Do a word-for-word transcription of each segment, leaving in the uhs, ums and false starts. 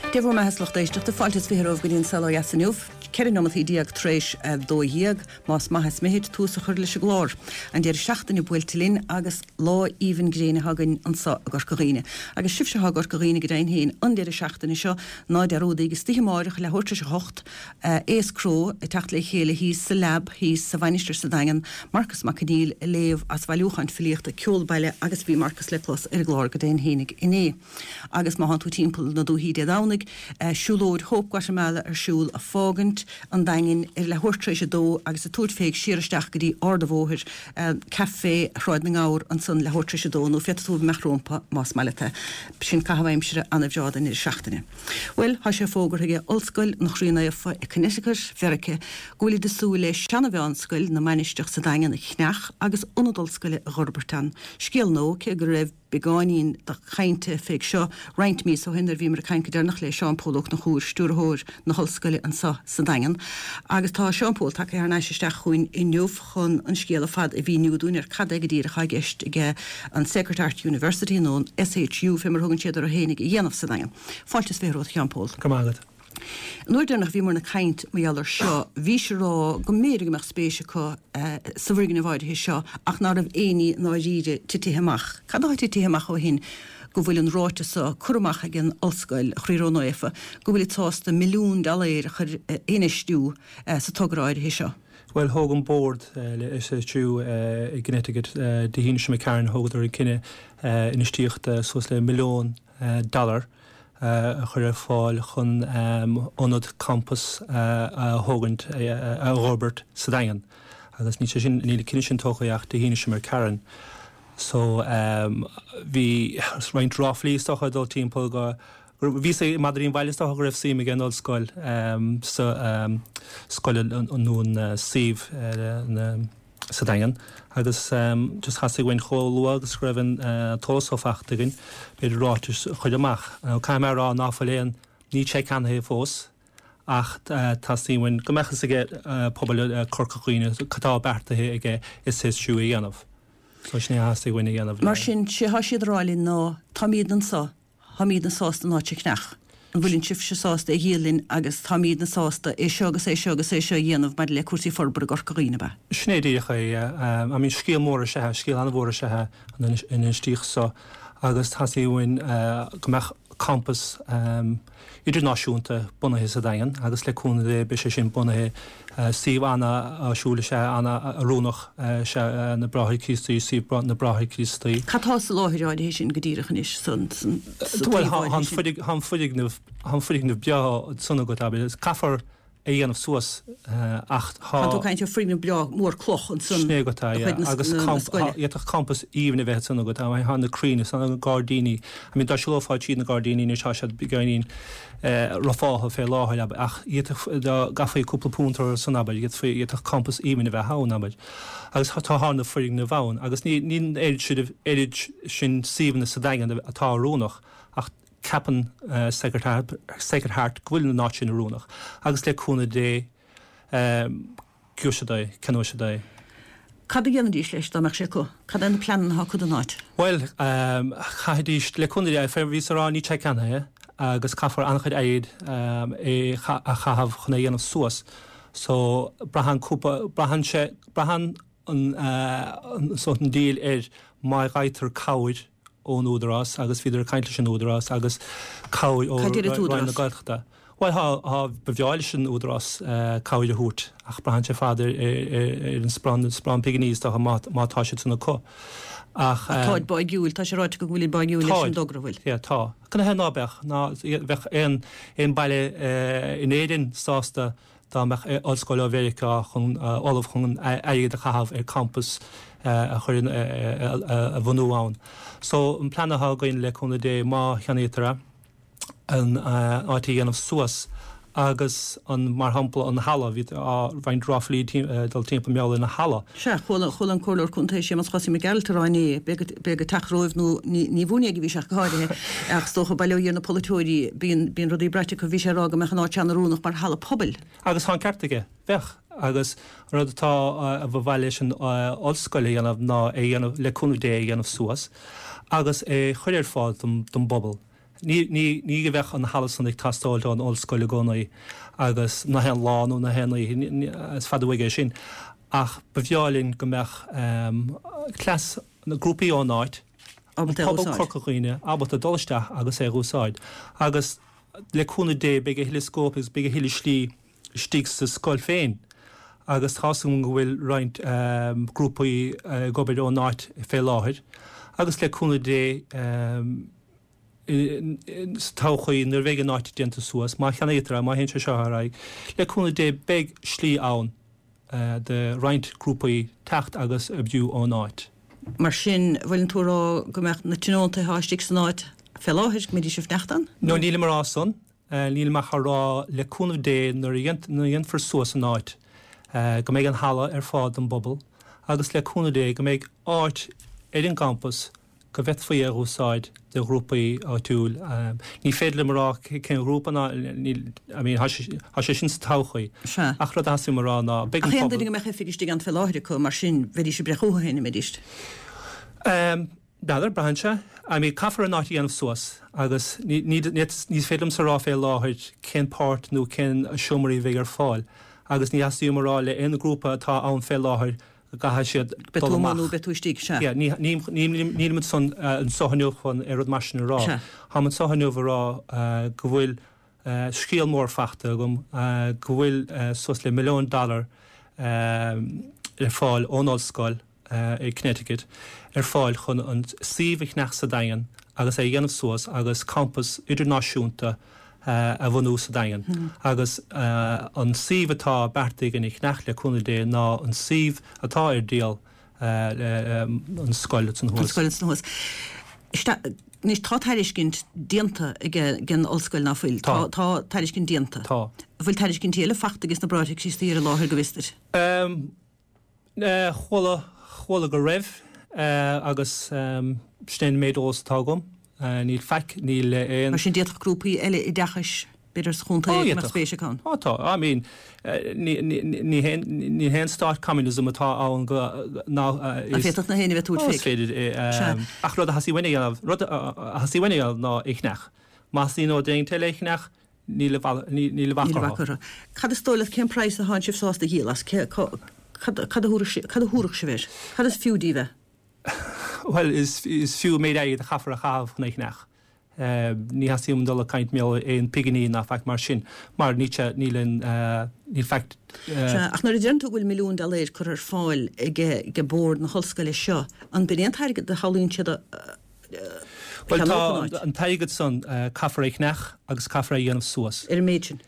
Dia bhur mbeatha, a lucht éisteachta, fáilte is fiche romhaibh go dtí An Saol Ó Dheas inniu, ceithre nóimeataí déag tar éis a dó dhéag, más maith is mithid tús a chur leis an gclár. An deireadh seachtaine buailte linn agus lá aoibhinn gréine againn anseo i gCorca Dhuibhne. Agus sibhse atá i gCorca Dhuibhne go deimhin féin an deireadh seachtaine seo, ná dearúdaíg istoíche amáireach leathuair tar éis a hocht, Aos Cró ag teacht le chéile thíos sa Lab thíos sa Mhainistir sa Daingean, Marcas Mac Conghail ag léamh as bhailiúchán filíochta Ceol Baile agus bhí Marcas le clos ar an gclár go deimhin féinig inné. Agus má thánn tú timpeall na dúichí Dé Domhnaigh, siúlóid Hope Guatemala ar siúl ag fágaint an Daingin ar leathuair tar éis a dó agus ag tabhairt fé siar isteach go dtí Ard an Bhóthair, Café Shráid na nGabhar ansan leathuair tar éis a dó nó féadfaidh tú imeacht rómpa más maith leat é. Sin caitheamh aimsire ana-bhreá don deireadh seachtaine. Bhuel, tá sé fógartha ag Ollscoil an Chroí Naofa i Connecticut, Mheirice, go bhfuilid ag súil le seana-mheánscoil na Mainistreach sa Daingean a cheannach agus ionad ollscoile a dh'fhorbairt ann. Scéal nua, cé go raibh beagáinín de chainte fé seo roinnt míosa ó shin nuair a bhíomar ag caint go deireanach le Seán Pól Ó Conchúir, Stiúrthóir na hOllscoile anseo sa Daingean. Agus tá Seán Pól tagtha thar n-ais isteach chugainn inniu chun an scéal ar fad a mhíniú dúinn ar cad é go díreach atá i gceist ag an Sacred Heart University nó an SHU fé mar a thugann siad orthu fhéinig a dhéanamh sa Daingean. Fáilte is fiche romhat a Sheán Pól. Go raibh maith agat. An uair deireanach a bhíomar ag caint mar gheall air seo, bhís ag rá go mb'fhéidir go mbeadh spéis acu sa bhfoirgneamh áirithe seo ach ná raibh aon ní i ndáiríre titithe amach. Cad atá titithe amach ó shin go bhfuil an ráiteas seo curtha amach ag an Ollscoil Chroí Ró-Naofa go bhfuilid sásta milliún dollaeir a chur a infheistiú sa togra áirithe seo? Bhuel, thóg an bord le SHU i gConnecticut Dé hAoine seo imigh tharainn, thógadar an cinneadh infheistíocht suas le milliún dollar a chur ar fáil chun ionad campas a thógaint, a fhorbairt sa Daingean. Agus níl sé sin, níl an cinneadh sin tógtha ach Dé hAoine seo imigh tharainn. So bhí roinnt ráflaí is dócha ag dul timpeall go, bhí a fhios ag madraí an bhaile is dócha go raibh suim ag an ollscoil sa scoil nó an suíomh sa Daingean agus just theastaigh uainn chomh luath agus go raibh an t-eolas so faighte againn, b'fhéidir ráiteas a chur amach. Caithfidh mé a rá ná fuil aon, níl sé ceannaithe fós ach teastaíonn uainn go mbeadh fhios ag pobal Corca Dhuibhne cad tá beartaithe ag SHU a dhéanamh. So sin é a theastaigh uainn a dhéanamh. Mar sin, sé thá siad a rá linn ná táimídne anso Táimídne sásta an áit a cheannach. An bhfuileann sibhse sásta é a dhíol linn agus táimídne sásta é seo agus é seo agus é seo a dhéanamh maidir le cúrsaí forbartha i gCorca Dhuibhne, ab ea? Sin é díreach é. I mean, scéal mór is ea é, scéal an-mhór is ea é an infheistíocht so agus theastaigh uainn go mbeadh campas idirnáisiúnta bunaithe sa Daingean agus le cúnamh Dé beidh sé sin bunaithe. Suíomh an-áisiúil is ea, an-oiriúnach is ea na Bráithre Críostaí, suíomh na Bráithre Críostaí. Cad tá sa láthair áirithe sin go díreach anois, san taobh áirithe sin? Bhuel, tá an foirgneamh, tá an foirgneamh breá ansan agat, abair. Caithfear é a dhéanamh suas ach tá. Tá tú ag caint ar foirgneamh breá mór cloch ansan de chuid na scoile. D'fhéadfadh campas aoibhinn a bheith ansan agat, tá na crainn is na gairdíní, I mean dá siúlófá tríd na gairdíní anois tá siad beagáinín rufáilte fé láthair, abair, ach d'fhéadfadh, dá gcaithfí cúpla punt orthu san, abair, d'fhéadfaí, d'fhéadfadh campas aoibhinn a bheith ann, abair. Agus tá na foirgnimh ann agus ní, níl an oiread sin, oiread sin suíomhanna sa Daingean atá oiriúnach ach ceapann Sacred Heart, Sacred Heart go bhfuil an áit sin oiriúnach agus le cúnamh Dé gheobhaidh siad é, ceannóidh siad é. Cad a dhéanfaidís leis dá mbeadh sé acu? Cad é na pleananna atá acu don áit? Bhuel, chaithfidís, le cúnamh Dé, bhíos a rá níl sé ceannaithe agus caithfear an-chuid airgid é a chaitheamh chun é a dhéanamh suas. So, braitheann cúpla, braitheann sé, braitheann an, sórt an díol ar má fhaightear cabhair ón Údarás agus bhíodar ag caint leis an Údarás agus cabhair ó Roinn na Gaeltachta. Bhuel, tá, tá, ba bhreá leis an Údarás cabhair a thabhairt ach braitheann sé ar fad ar, ar an sparán, sparán pinginí is dócha má, má tá siad san acu. Ach. Ach táid báigiúil, tá sé ráite acu go bhfuilid báigiúil leis an dtogra, bhfuil? Yeah, tá. Canathaobh ná beadh, ná bheadh aon, aon baile in Éirinn sásta dá mbeadh ollscoil ó Mheiriceá chun ullamh chun airgead a chaitheamh ar campas a chur in a bhunú ann. So an plean atá againn le cúnamh Dé má cheannaítear é, an áit a dhéanamh suas agus an mar shampla an halla, bhí roinnt ráflaí ag dul timpeall mar gheall ar an halla. Sea, chuala chuala an Comhairleoir Contae Séamus Chosaí Mac Gearailt ag rá inné, b'é ag teacht romhaibh nó ní ní bhuainéag a bhí sé ach go háirithe, ach is dócha bail ó Dhia ar na polaiteoirí, bíonn bíonn rudaí braite acu, bhí sé ag rá go mbeadh an áit an-oiriúnach mar halla pobail. Agus tá an ceart aige, bheadh. Agus an rud atá a ba mhaith leis an ollscoil a dhéanamh ná é a dhéanamh, le cúnamh Dé, é a dhéanamh suas agus é chur ar fáil don don bpobal. Ní ní ní go bheadh an halla san ag teastáil don ollscoil i gcónaí agus na haon lá nó na haon oíche, is fada uaidh é sin. Ach ba bhreá linn go mbeadh cleas na grúpaí ón áit, ábalta é a pobal úsáid. Corca Dhuibhne, ábalta dul isteach agus é a úsáid. Agus le cúnamh Dé beidh a thuilleadh scóip agus beidh a thuilleadh slí istigh sa scoil féin. Agus tá súil agam go bhfuil roinnt grúpaí ag obair ón áit fé láthair. Agus le cúnamh Dé sa todhchaí nuair a bheidh an áit déanta suas, má cheannaítear é, má théann sé seo ar aghaidh, le cúnamh Dé beidh slí ann do roinnt grúpaí teacht agus oibriú ón áit. Mar sin, bhfuileann tú a rá go mbeadh na tionóntaithe atá istigh san áit fé láthair, go mbeidís ag fanacht ann? No, nílim a rá san. Nílim ach a rá le cúnamh Dé nuair a dhéanfar suas an áit, go mbeidh an halla ar fáil don bpobal agus le cúnamh Dé go mbeidh áit ar an gcampas go bhféadfaí a úsáid do ghrúpaí áitiúil. Ní féidir liom a rá cén ghrúpa ná níl, I mean, tá sé sin sa todhchaí. Sea. Ach rud a theastaíonn uaim a rá ná beidh an Ach aon pobal. duine go mbeadh oifig istigh ann fé láthair acu, mar sin, bheidís ag breith chucu féin, an mbeidís? B'fhéidir, braitheann sé. I mean, caithfear an áit a dhéanamh suas agus ní, ní, ní féidir liomsa a rá fé láthair cén páirt nó cén seomraí a bheidh ar fáil. Agus ní theastaíonn uaim a rá le aon ghrúpa atá ann fé láthair go gcaithfidh siad Beidh dul tú amach. nó beidh tú istigh, sea. Yeah, ní, ní, ní, nílim ansan anseo inniu chun ar rud mar sin a rá. Sea. Táim anseo inniu a rá uh, go bhfuil uh, scéal mór fachta agam, uh, go bhfuil uh, suas le milliún dollar uh, ar fáil ón ollscoil uh, i Connecticut ar fáil chun an suíomh a cheannach sa Daingean agus é a dhéanamh suas agus campus idirnáisiúnta uh, a bhunú sa Daingean. Hmm. Agus uh, an suíomh atá beartaithe againn a cheannach le cúnamh Dé ná an suíomh atá ar díol uh, le, um, an scoil san An thuas. scoil san thuas. Anois tá tairiscint déanta ag ag an ollscoil ná fuil. Tá. Tá tairiscint déanta. Tá. Bhfuil tairiscintí eile fachta agus na bráithre Críostaí ar an láthair go bhfios duit. Um, uh, chuala chuala go raibh uh, agus um, sin an méid eolas atá agam. Uh, níl faic níl aon Mar sin d'fhéadfadh grúpaí eile oideachais b'fhéidir sa chontae Ó, mar d'fhéadfadh. spéis acu ann. Ó tá, I mean, uh, ní ní ní haon ní haon stát communism atá ann go ná uh, An féadfadh na héinne bheith Ó, tabhairt is féig. féidir é, Sea. um, ach rud a theastaíonn uainn a dhéanamh rud a theastaíonn uainn a dhéanamh ná é a cheannach. Más ní nó déan eile é a cheannach níl a bhal- ní- níl a bhac Níl orthu. bhac orthu. Cad is dóigh leat cén praghas atá sibh sásta a dhíol as Cé- cá- cad cad a thabharfadh si- cad a thabharfadh sibh air? Cad is fiú daoibh é? Well, is, is fiú méid airgid a chaithfear a chaitheamh chun é a cheannach. Uh, ní theastaíonn dul ag caint mar aon pinginí ná faic mar sin, mar ní níl an uh, níl faic uh, Sea, ach nuair a deireann tú go bhfuil milliún dollar curtha ar fáil ag ag bord na hollscoile seo, an b'in aon t-airgead a shamhlaíonn siad a Well, tá cheannódh an áit? an t-airgead san uh, caithfear é a cheannach agus caithfear é a dhéanamh suas. ar an méid sin.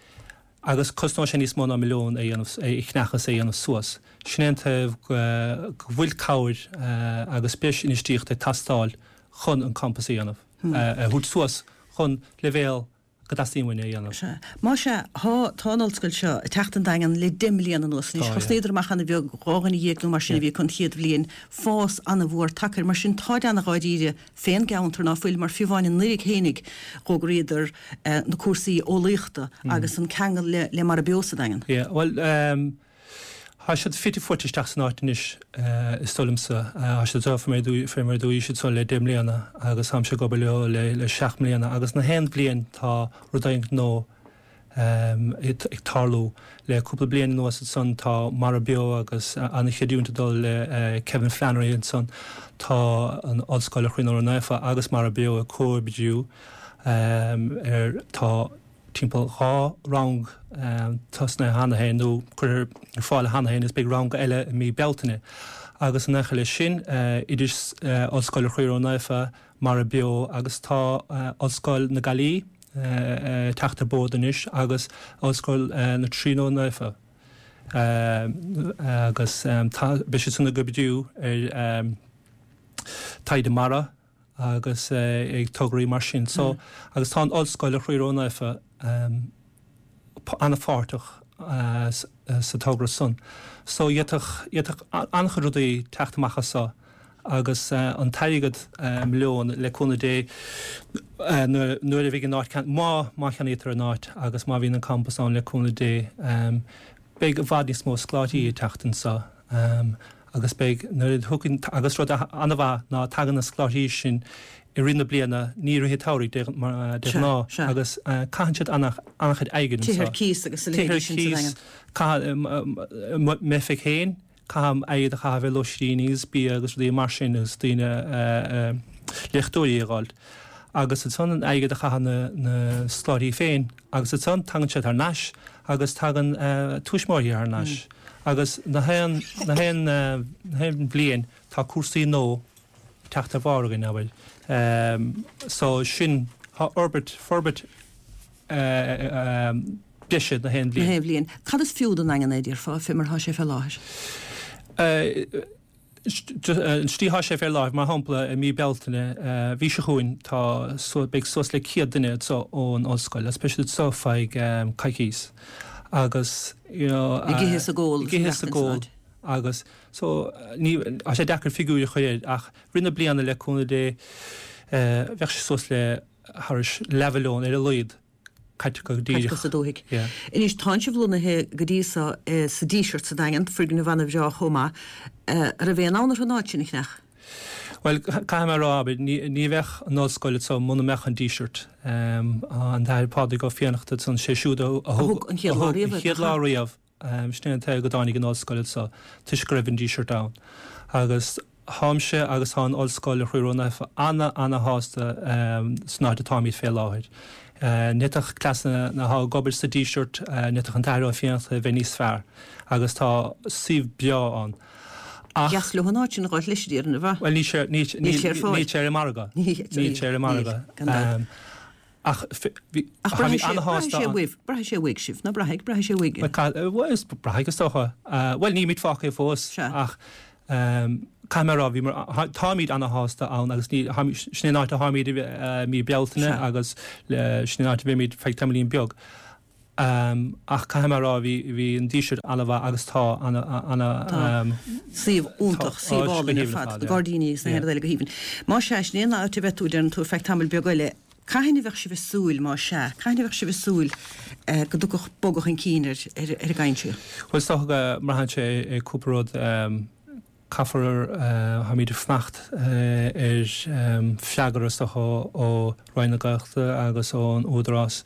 Agus cosnóidh sé níos mó ná milliún é dhéanamh é a cheannach agus é a dhéanamh suas. Sin é an taobh go go bhfuil cabhair uh, agus breis infheistíocht ag teastáil chun an campus a dhéanamh. Hmm. Uh, a thabhairt suas chun leibhéal go dteastaíonn uainn é a dhéanamh. Sea. Má sea, thá tá an ollscoil seo ag teacht an Daingean le deich mbliana anuas anois. Tá, Thosnaíodar amach an-bheag dhá dhuine dhéag nó mar sin a bhí an chéad bhliain fás an-mhór tagtha air mar sin tá an-dháiríre fén gceantar ná fuil mar fiú amháin anuraidh fhéinig d'fhógraíodar eh, na cúrsaí eolaíochta agus an ceangal le, le Mara Beo sa Daingean. Yeah, well, um, Tá siad fite fuaite isteach san áit anois uh, is dóigh liomsa. Uh, Tá siad fé mar dúí siad so le deich mbliana agus táimse ag obair leo le, le seacht mbliana agus na haon bhliain tá rud éigin nua um, ag ag tarlú le cúpla bliain anuas ansan tá Mara Beo agus uh, an-chreidiúint ag dul le uh, Kevin Flannery ansan tá an Ollscoil Chroí Naofa agus Mara Beo ag comhoibriú um, ar tá timpeall dhá rang um, tosnaithe cheana féin nó curtha ar fáil cheana féin is beidh rang eile i mí Bealtaine. Agus an eile sin uh, idir uh, Ollscoil Chroí Naofa Mara Beo agus tá uh, Ollscoil na Gaillimhe uh, uh, teacht ar bord anois agus Ollscoil uh, na Tríonóide Naofa. Uh, agus um, beidh siad san ag oibriú ar um, taighde mara agus uh, ag tograí mar sin. So, mm. agus tá an Ollscoil Chroí Naofa um, an-pháirteach uh, sa togra san. So d'fhéadfadh an-chuid rudaí teacht amach as seo agus uh, an t-airgead uh, milliún le cúnamh Dé uh, nuair a bhí an áit má má cheannaítear an áit agus má bhíonn an campus ann le cúnamh Dé um, beidh i bhfad níos mó scoláirí ag teacht anseo um, Agus beidh nuair a thugann agus rud an-mhaith ná tagann na scoláirí sin i rith na bliana, ní i rith an tsamhraidh de de ghnáth agus caitheann siad an-chuid airgid anseo. Tithe ar cíos agus a leithéidí sin sa Daingean. Caithfidh m'oifig féin, caithim airgead a chaitheamh ar lóistíní agus bia agus rudaí mar sin agus daoine léachtóirí a dh'fháilt. Agus ansan an airgead a chaitheann na na scoláirí féin agus ansan tagann siad thar n-ais agus tagann tuismitheoirí thar n-ais. Agus na haon na haon na haon bhliain tá cúrsaí nua ag teacht ar bharr againn, abair. So sin, tá fhorbairt, forbairt breise na haon bhliain. Na haon bhliain. Cad is fiú don Daingean é, déarfá, fé mar atá sé fé láthair? An tslí atá sé fé láthair, mar shampla, i mí Bealtaine, mhí seo chugainn, tá, beidh suas le céad duine anseo ón ollscoil agus beidh siad anseo feadh coicís agus, you know, Ag ithe is ag ól. Ag ithe is ag ól agus so ní, tá sé deacair figiúirí a chur air ach rith na bliana le cúnamh Dé bheadh sé suas le thairis leathmhilliún ar a laghad. caite go díreach. Caite sa dúthaigh. Anois, tánn sibh lonnaithe go dtí so sa Díseart sa Daingean, foirgneamh ana-bhreá chomh maith. An raibh aon fhonn orthu an áit sin a cheannach? Bhuel, caithfidh mé a rá, abair, ní bheadh an ollscoil anso muna mbeadh an Díseart. An tAthair Pádraig Ó Fiannachta ansan, sé siúd a thug an chéad lá riamh, sin é an t-é go dtáinig an ollscoil anso, toisc go raibh an Díseart ann. Agus Táimse agus tá an Ollscoil Chroí Ró-Naofa ana-ana-shásta san áit atáimid fé láthair. Ní fhéadfadh cleasanna atá ag obair sa Díseart, ní fhéadfadh an tAthair Ó Fiannachta a bheith níos fearr agus tá suíomh breá ann. Ach. Dheas leo an áit sin a dh'fháilt leis, a déarfainn, arbh ea? Bhuel, níl sé, níl, níl sé ar fáil. Níl sé ar an margadh. Níl sé ar an margadh. Gan dabht. Ach bhí, Ach táimid braithfidh sé, braithfidh ana-shásta sé ann. uaibh, braithfidh sé uaidh sibh, ná braithfidh, braithfidh sé uaidh. Bhuel, braithfidh is dócha. Bhuel, nílimid fágtha fós Sea. ach Caithfidh mé a rá, bhíomar, táimid ana-shásta ann agus ní, sin é an áit a tháimid i mí Bealtaine Sea. agus sin an áit a bheimid feadh tamaillín beag. Ach caithfidh mé a rá, bhí, bhí an Díseart ana-mhaith agus tá ana, ana, Tá. Suíomh tá, iontach, suíomh áit go álainn ar haoibhinn ar fad, fad, na yeah. gairdíní agus na Yeah. haon rud eile go haoibhinn. Má sea, sin é an áit a bheidh tú, deireann tú, ar feadh tamaill beag eile. Cathain a bheadh sibh ag súil, má sea, cathain a bheadh sibh ag súil go dtiocfadh bogadh chun cinn ar ar an gcaint seo? Bhuel, is dócha go mbraitheann sé ar cúpla rud. Caithfear, táimid ag fanacht ar freagra is dócha ó Roinn na Gaeltachta agus ón Údarás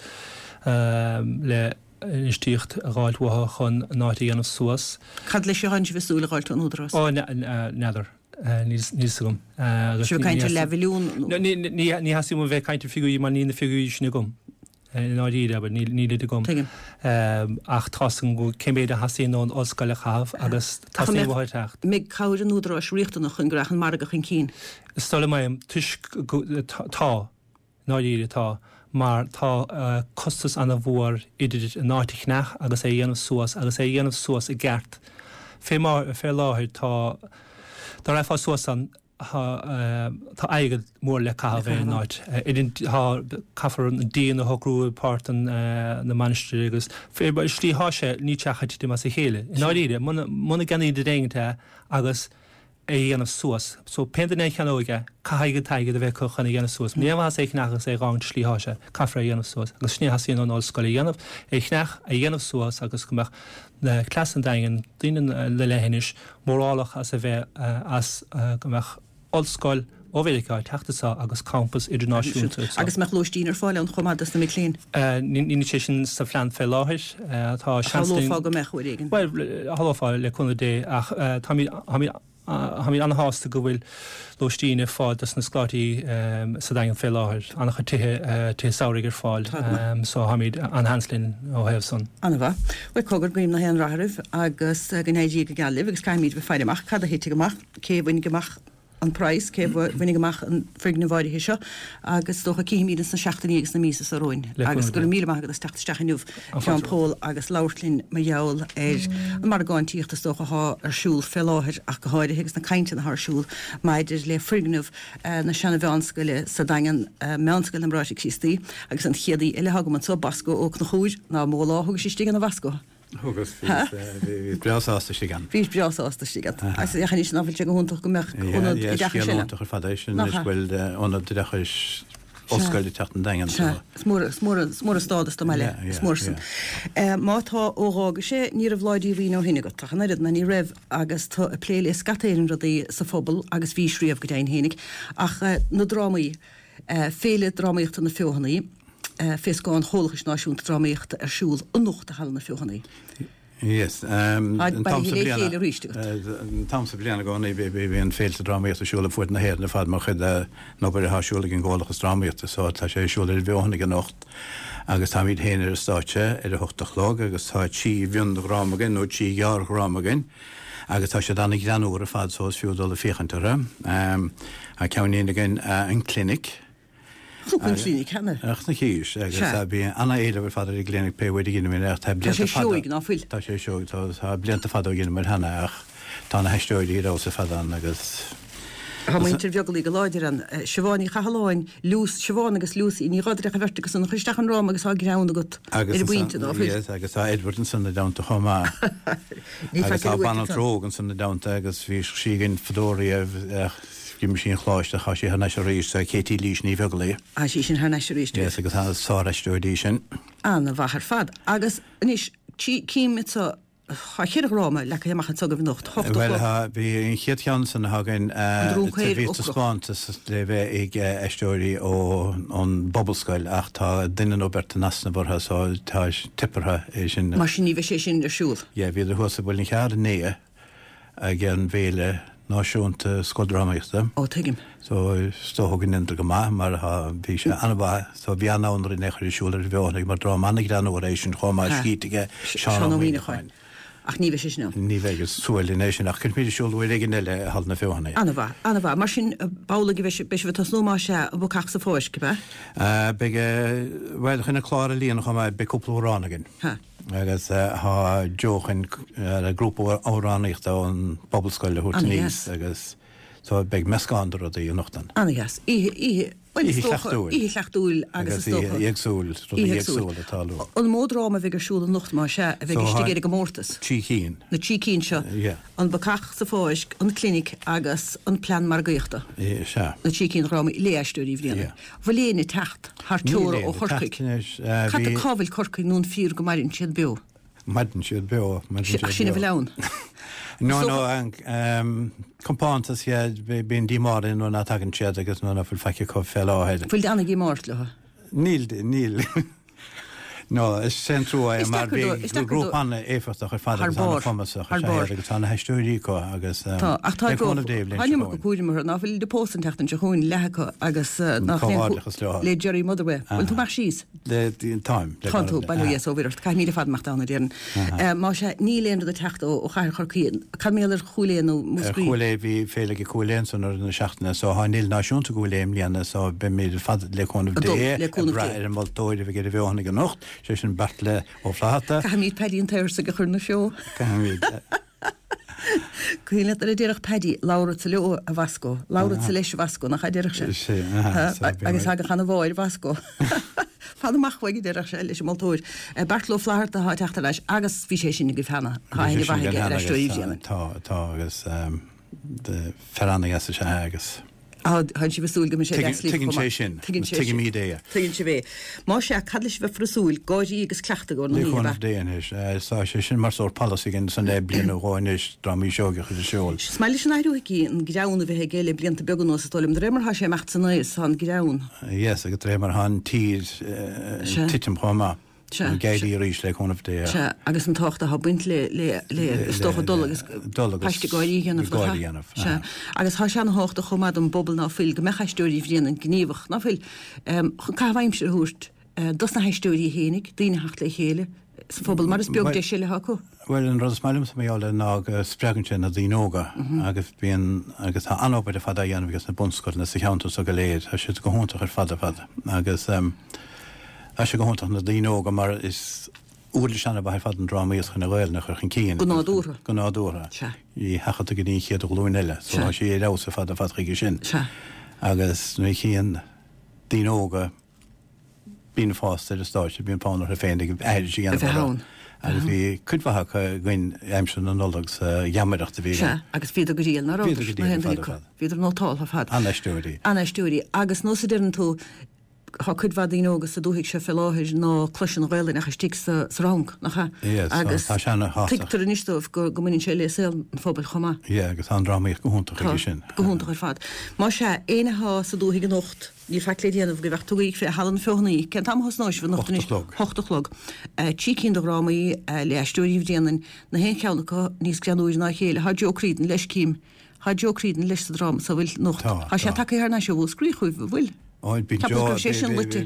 le infheistíocht a dh'fháilt uathu chun an áit a dhéanamh suas. Cad leis atánn sibh ag súil a dh'fháilt ón Údarás? Ó, n'fheadar. Níl fhios agam. Agus Sibh ag caint ar leathmhilliún nó? Ní theastaíonn uaim bheith ag caint ar figiúirí mar níl na figiúirí sin agam. I ndáiríre, abair, níl nílid agam. Tuigim. Ach tá's agam go cé méid a theastaíonn ón ollscoil a chaitheamh agus Ach an teastaíonn mbeadh uathu teacht. mbeidh cabhair an Údaráis riachtanach chun go rachadh an margadh chun cinn? Is dóigh liom é, toisc go, tá. ndáiríre tá, mar tá costas ana-mhór idir an áit a cheannach agus é a dhéanamh suas agus é a dhéanamh suas i gceart. Fé mar, fé láthair tá, dá raghfá suas ann, tá, tá airgead mór le caitheamh ar an áit. Idir an, tá, caithfear an díon a shocrú i páirt an, na mainistire agus fé mar, slí thá sé, níl sé ach ag titim as a chéile. I ndáiríre, muna, muna gceannaíonn duine éigint é agus, é a dhéanamh suas. So, pé duine a cheannóidh é, caithfidh an t-airgead a bheith acu chun é a dhéanamh suas. Níl aon mhaitheas é a cheannach agus é a dh'fhágaint slí thá sé. Caithfear é a dhéanamh suas. Agus sin é a theastaíonn ón ollscoil a dhéanamh, é a cheannach, é a dhéanamh suas agus go mbeadh na cleas an Daingin, daoine na leithinis, mórálach as a bheith, as go mbeadh ollscoil ó Mheiriceá ag teacht anso agus campas idirnáisiúnta anso. Agus mbeadh lóistín ar fáil ann chomh maith dos na mic léinn? Níl sé sin sa phlean fé láthair. Tá seans linn. Shamhlófá go mbeadh uair éigin. Bhuel, shamhlófá le cúnamh Dé ach táimid, táimid, táimid ana-shásta go bhfuil lóistín ar fáil dos na scoláirí sa Daingean fé láthair. An-chuid tithe, tithe samhraidh ar fáil so táimid an-seans linn ó thaobh san. Ana-mhaith. Bhuel, cogar, guím nach aon rath oraibh agus go n-éirí go geal libh agus caithfimid bheith ag faire amach cad a thitfidh amach, cé a bhainfidh amach an praghas, cé a bhainfidh amach an foirgneamh áirithe seo agus is dócha cífimid ins na seachtainí agus na míosa seo romhainn. Agus go raibh míle maith agat as teacht isteach inniu, a Sheán Pól, agus labhairt linn mar gheall ar an margáintíocht is dócha athá ar siúl fé láthair ach go háirithe agus na cainteanna athá ar siúl maidir le foirgneamh na seana-mheánscoile sa Daingean, Meánscoil na mBráithre Críostaí. Agus an chéad aoi eile athá agam anso, Bosco Ó Conchúir, ná mó lá a thugais istigh ann a Bhosco? Thugas, bhíos breá sásta istigh ann. Bhís breá sásta istigh ann. Agus ach anois ná fuil sé go hiontach go mbeadh ionad oideachais eile? Scéal iontach ar fad é sin, anois go bhfuil ionad oideachais ollscoil ag teacht an Daingean. Sea, is mór, is mór, is mór an stádas don mbaile, is mór san. Má tá ó dh'fhága sé, ní raibh lá díomhaoin ó shin agat, ach an oiread, ná ní raibh agus tú ag plé le scata Éireann rudaí sa phobal agus bhís riamh go deimhin fhéinig, ach na drámaí, Féile Drámaíochta na Feothanaí, fé scáth an Chomhlachais Náisiúnta Drámaíochta ar siúl anocht i Halla na Feothanaí. Yes. An t-am sa bhliain an t-am sa bhliain i gcónaí bíonn féilte drámaíochta ar siúl ar fuaid na hÉireann ar fad mar chuid den obair atá ar siúl ag an gComhlachas Drámaíochta so tá sé ar siúl ar an bhFeothanaigh anocht agus táimid féin ar an stáitse ar a hocht a chlog agus tá trí mhiondhráma againn nó trí ghearrdhráma againn agus tá siad an-ghreannmhar ar fad so is fiú dul ag féachaint orthu. Tá ceann againn an Clinic. Chonaic an Clinic cheana. Chonaicis agus bhí an-éileamh ar fad ar an gClinic pé uair a dheineamar ach tá blianta fada. Tá sé seoigh ná fuil? Tá sé seoigh, tá blianta fada ó dheineamar cheana ach tá na haisteoirí ar fheabhas ar fad ann agus. Tá muintir Bheaglaoich go láidir ann. Siobhán Ní Chathalláin, Lucy, Siobhán agus Lucy Ní Dhraoir an bheirt acu san a chuir isteach an dráma agus tá greann agat ar an bpointe ná fuil? Yes, agus tá Edward ansan ina dteannta chomh maith. Agus tá banaltra óg ansan ina dteannta agus bhí sí againn fadó riamh ach D'imigh sí ón choláiste, tá sí thar n-ais arís, Katie Lís Ní Bheaglaoich. Tá sí sin thar n-ais arís, Yes, agus tá sár-aisteoir í sin. Ana-mhaith ar fad. Agus anois, cím anseo, tá ceithre dhráma leagtha amach anseo agaibh anocht, hocht a Bhuel, chlog. tá, bhí an chéad cheann san atá againn, An Drong Caor bhí Ocrach. taispeántas le bheith ag aisteoirí ón bPobalscoil ach tá duine nó beirt in easnamh orthu so tá teip orthu é sin. Mar sin ní bheidh sé sin ar siúl. Yeah, bhíodar thuas i Muileann Cearr inné ag an bhFéile Náisiúnta Scoildrámaíochta. Ó, tuigim. So, is dócha go ndéantar go maith mar tá, bhí sé an-mhaith. So, bhí an-fhonn orainn é a chur ar siúl ar an bhFeothanaigh mar dráma an-ghreannmhar é sin chomh maith, scríte aige Seán Seán Ó Ó Muíneacháin. Muíneacháin. Ach ní bheidh sé sin ann. Ní bheidh, is trua linn é sin, ach cuirfimid ar siúl uair éigin eile i Halla na Feothanaí. An-mhaith, an-mhaith. Mar sin, b'amhlaidh a bheidh sibh, beidh sibh ag tosnú más ea, an Bacach sa Pháirc, ab ea? Beidh, bhuel, chun an clár a líonadh chomh maith, beidh cúpla amhrán againn. Ha. Agus tá Joe chun grúpa amhránaíochta ón bPobalscoil a thabhairt aníos agus so beidh meascán de rudaí anocht ann. Ana-dheas. Oíche, oíche, bhuel is Oíche dócha, chleachtúil. oíche chleachtúil agus is Agus dócha. oíche éagsúil, rudaí Oíche éagsúil. éagsúla ag tarlú. An mó dráma a bheidh ar siúl anocht más ea, a bheidh So istigh tá ar an gcomórtas? Trí cinn. Na trí cinn seo. Yeah. An Bacach sa Pháirc, An Clinic agus An Plean Margaíochta. Sea. Na trí cinn dhrámaí le Aisteoirí Bhréanainn. Yeah. Bhfuil éinne ag teacht thar Níl teora éinne ó ag Chorcaigh. teacht anois. Eh, Cad bhí. cá bhfuil Corcaigh nó an fíor go maireann siad beo? Maireann siad beo, maireann Ach siad sin a beo. bhfuil ann. No, Is no, dócha. an ehm, compántas, yeah, bíonn díomá orainn nuair ná tagann siad agus nuair ná fuil faic acu fé láthair. Bhfuil ana-dhíomá ort leo? Níl, níl. No, is é an trua é Is mar deacair bhí dó, is deacair dó. grúpa an-éifeachtach ar fad Thar agus barr, an-chumasach thar is ea barr. iad agus tá na haisteoirí acu agus Tá, ach tá le cúnamh Dé Tá an iomarca cúraim orthu, ná fuil de pósadh an tseachtain seo chugainn, leath acu agus nach aon Comhghairdeachas leo. le Jerry Motherway. Bhfuil tú amach síos? Le, táim, le Tá tú, cúnamh Dé. bail ó Dhia is ó Mhuire ort. Caithfidh míle fada amach ann a déarfainn. Más ea, níl aon rud ag teacht ó ó chathair Chorcaí. Cad mar gheall ar Chúil Aodha nó Ar Múscraí? Chúil Aodha, bhí féile ag Cúil Aodha ansan i rith na seachtaine so tá an fhéile náisiúnta i gCúil Aodha i mbliana so beimid ar fad le cúnamh Ag dul, Dé le ag cúnamh brath Dé. ar an moltóir a bheidh ar an bhFeothanaigh anocht, sé sin Beartla Ó Flatharta. Caithfimid Paddy an tSaorsaigh a chur 'na seó. Caithfimid. Cuimhin leat nuair a déarfadh Paddy, Labhratsa leo, a Bhasco, labhratsa leis, a Bhasco, nach ea a déarfadh sé? Sé, aha, so bhí Agus mé. thagadh an mháir, a Bhasco. Fan amach uaidh, a déarfadh sé leis an moltóir. Beartla Ó Flatharta atá ag teacht ar ais agus bhí sé sin agaibh cheana, tá Bhí aithne sé sin mhaith againn aige ar cheana Aisteoirí agus Bhréanainn. tá, tá agus fear an-dheas is ea é agus. Tá sibh ag súil go mbeidh sé deas libh Tuigeann chomh sé maith. sin. Tuigeann sé sin. Tuigimid é. Tuigeann sibh é. Más ea, cad le sibh a bheith ag súil, gáirí agus cleachtadh i gcomhair na Le hoíche, ab cúnamh ea? Dé anois. Tá sé sin mar sórt polasaí againn ansan le bliain nó dhó anois, drámaí seoighe a chur ar siúl. Is maith leis an athrú aici an greann a bheith aige le blianta beaga anuas, is dóigh liom. De réir mar atá sé ag imeacht san aois, tá an greann. Yes, agus de réir mar atá an tír Sea. ag titim chomh maith. Sea, Ag éirí arís le cúnamh Dé. Sea, agus an tábhacht atá ag baint le, le, le, is dócha dul agus dul agus paiste gáirí a dhéanamh, nach gáirí a ea? dhéanamh, Sea, aha. agus tá sé ana-thábhachtach chomh maith don bpobal ná fuil, go mbeadh Aisteoirí Bhréanainn gníomhach, ná fuil, chun caitheamh aimsire a thabhairt dos na haisteoirí fhéinig, daoine a theacht le chéile sa phobal, mar is beag deis eile atá acu. Bhuel, an rud is maith liomsa mar gheall air ná go spreagann sé na daoine óga agus bíonn, agus tá an-obair ar fad á dhéanamh aige sna bunscoileanna sa cheantar so go léir, tá siad go hiontach ar fad ar fad agus tá sé go hiontach na daoine óga mar is uirlis an-mhaith ar fad an drámaíocht chun an Ghaelainn a chur chun cinn. Go nádúrtha. Go nádúrtha. Sea. Í sheachadadh go dtí an chéad ghlúin eile. So Sea. tá sé ar fheabhas ar fad ar fad chuige sin. Sea. Agus nuair a chíonn daoine óga daoine fásta ar an stáitse, bíonn fonn orthu féin ag aithris a dhéanamh A bheith orthu. ann. Agus bhí cuid mhaith acu againn aimsir na Nollag sa gheamaireacht a bhí Sea, againn. agus bhíodar go diail, ná Bhíodar rabhadar? go Na diail haon ar fad duine ar acu. fad. Bhíodar nótáltha ar fad. An-aisteoirí. An-aisteoirí. Agus nós a deireann tú, Tá cuid mhaith daoine óga sa dúthaigh seo fé láthair ná cloiseann an Ghaelainn ach istigh sa sa rang, nach ea? Yes, Agus tá sé ana-thábhachtach. tuigtear anois dóibh go go mbaineann sé le saol an phobail chomh maith. Yeah, agus tá an drámaíocht go hiontach Tá, aige sin. go hiontach ar fad. Más ea, éinne atá sa dúthaigh anocht, níl faic le déanamh go bheadh tugaí fé Halla na Feothanaí. Cén t-am a thosnóidh sibh anocht Hocht a anois? chlog. Hocht a chlog. Trí cinn de dhrámaí le Aisteoirí Bhréanainn, na haon cheann acu níos greannúire ná a chéile. Tá Joe Creedon leis, cím. Tá Joe Creedon leis sa dráma sa bhfuil anocht. Tá, Tá sé tá. tagtha thar n-ais ó Mhúscraí chugaibh, an bhfuil? Ó, bíonn Ceapas Joe go raibh sé sin luite.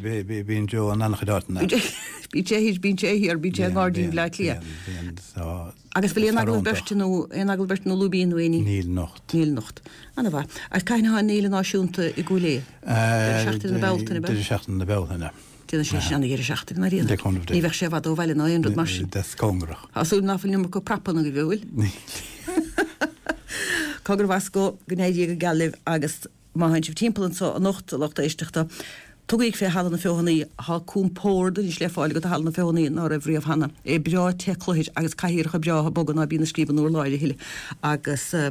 bíonn Joe in an-chuid áiteanna. Bíonn sé thiar, bíonn sé thiar, bíonn sé i nGairdín Bhaile Átha Cliath. Bíonn, so Agus bhfuil aon agallamh Toronto. beirte nó aon agallamh beirte nó lúibín nó aon ní? Níl anocht. Níl anocht. Ana-mhaith. Agus cathain atá an fhéile náisiúnta i gCúil Aodha? Deireadh seachtaine na Bealtaine, Deireadh seachtaine na Bealtaine. Déanann sé sin an-dheireadh seachtaine ná Le cúnamh Dé. Ní bheadh sé i bhfad ó bhaile ná aon rud mar sin. That's cóngarach. Tá súil nach bhfuil an iomarca prapanna agaibh, an bhfuil? Níl. Cogar Bhasco go n-éirí go geal libh agus má théann sibh timpeall anseo anocht a lucht éisteachta, tugaig fé Halla na Feothanaí, tá compord anois le fáil agat i Halla na Feothanaí ná raibh riamh cheana. É breá te cluthair agus cathaoireacha breátha boga ná bíonn ag scríobh an urláir a thuilleadh agus eh,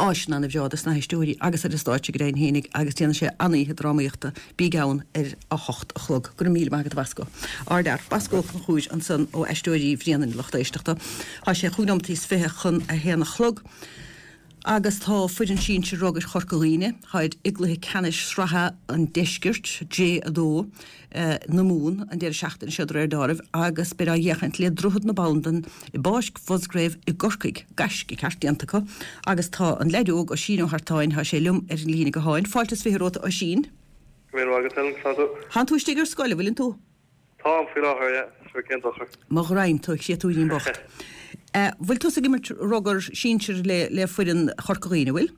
áiseanna ana-bhreá dos na haisteoirí agus ar an stáitse go deimhin fhéinig agus déanann sé an-oíche drámaíochta bíg ann ar a hocht a chlog. Go raibh míle maith agat a Bhasco. Ardfhear Basco Ó Conchúir ansan ó Aisteoirí Bhréanainn lucht éisteachta. Tá sé chúig nóimeataí is fiche chun a haon a chlog. Agus tá foireann sinsir rugair Chorca Dhuibhne, táid i gcluiche ceannais sraithe an deiscirt J a dó eh, na Mumhan an deireadh seachtaine seo de réir dealraimh agus beidh á fhéachaint le Droichead na Bandan i bPáirc Mhusgrave i gCorcaigh, gaisce ceart déanta acu, agus tá an leaid óg Oisín Ó hArtáin, tá sé liom ar an líne gutháin. Fáilte is fiche romhat Oisín. Go raibh maith agat Helen, tá tú? Tánn tú istigh ar scoil, an bhfuileann tú? Táim faoi láthair, yeah, sure cén dochar. Mo ghraidhin tú, créatúirín bocht. Eh, bhfuil tú ag imirt rugar sinsir le le foireann Chorca Dhuibhne, bhfuil?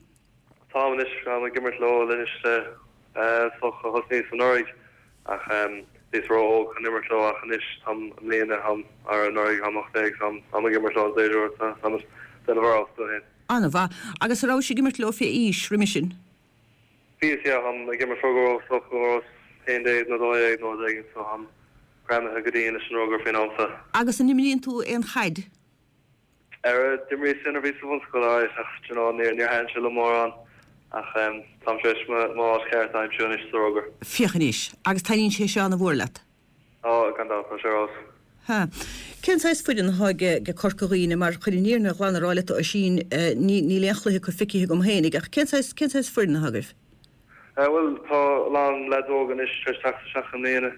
Táim anois táim ag imirt leo anois le socha thosnaíos anuraidh ach um, bhíos ró-óg chun imirt leo ach anois táim i mbliana táim ar anuraidh táim ocht déag táim táim ag imirt leo an déidir táim déanamh ar fheabhas féin. Ana-mhaith, agus an raibh ag imirt leo fé aois roimhe sin? Bhíos yeah, táim ag imirt rugar socha haon déag nó dó dhéag nó déag so táim greamaithe go dtí leis an rugar faoin am seo. Agus an imríonn tú aon chaid? Ar d'imríos sin a bhí sa bhunscoil ach you know, níor níor thaitin sé liom mórán ach um, táim tar éis m'áit cheart a aimsiú anois sa rugar. Féach anois, agus taitníonn sé seo ana-mhór leat. Á gan dabht tá sé ar fheabhas. Ha. Cén saghas foireann atá ag Corca Dhuibhne mar chun an fhírinne ghlan a rá leat Oisín níl aon chluiche acu feicthe agam féinig ach cén saghas cén saghas foireann atá agaibh? Uh, well tá a lán leaid óg anois tar éis teacht isteach i mbliana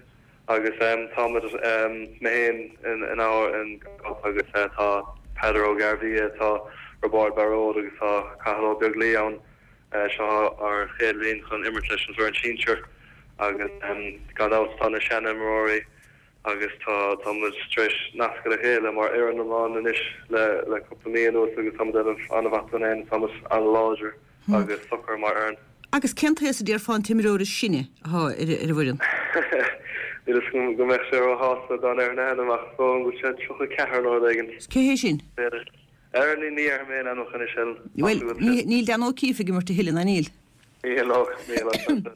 agus um, táimid um, mé féin in in ár in agus uh, tá Peadar Ó Gairbhia, tá Roibeárd Baróid agus tá Cathal Ó Beaglaoi ann uh, seo ár chéad bhliain chun imirt leis an bhfoireann sinsir agus um, gan dabht tá na seanimreoirí agus tá táimid tar éis nascadh le chéile mar fhoireann iomlán anois le le cúpla mí anuas agus táimid déanamh an-mhaith dúinn féin táimid an-láidir agus socair mar fhoireann. Agus cén t-aois a déarfá an t-imreoir is sine atá ar ar an bhfoireann? Níl a fhios agam go mbeadh sé róshásta dá ndéarfainn a ainm ach so go bhfuil sé tríocha ceathair nó rud éigin. Cé hé sin? Ar ní ní ar mé an chun sin. Well, níl Dan O'Keefe ag imirt a thuilleadh ná níl. Níl níl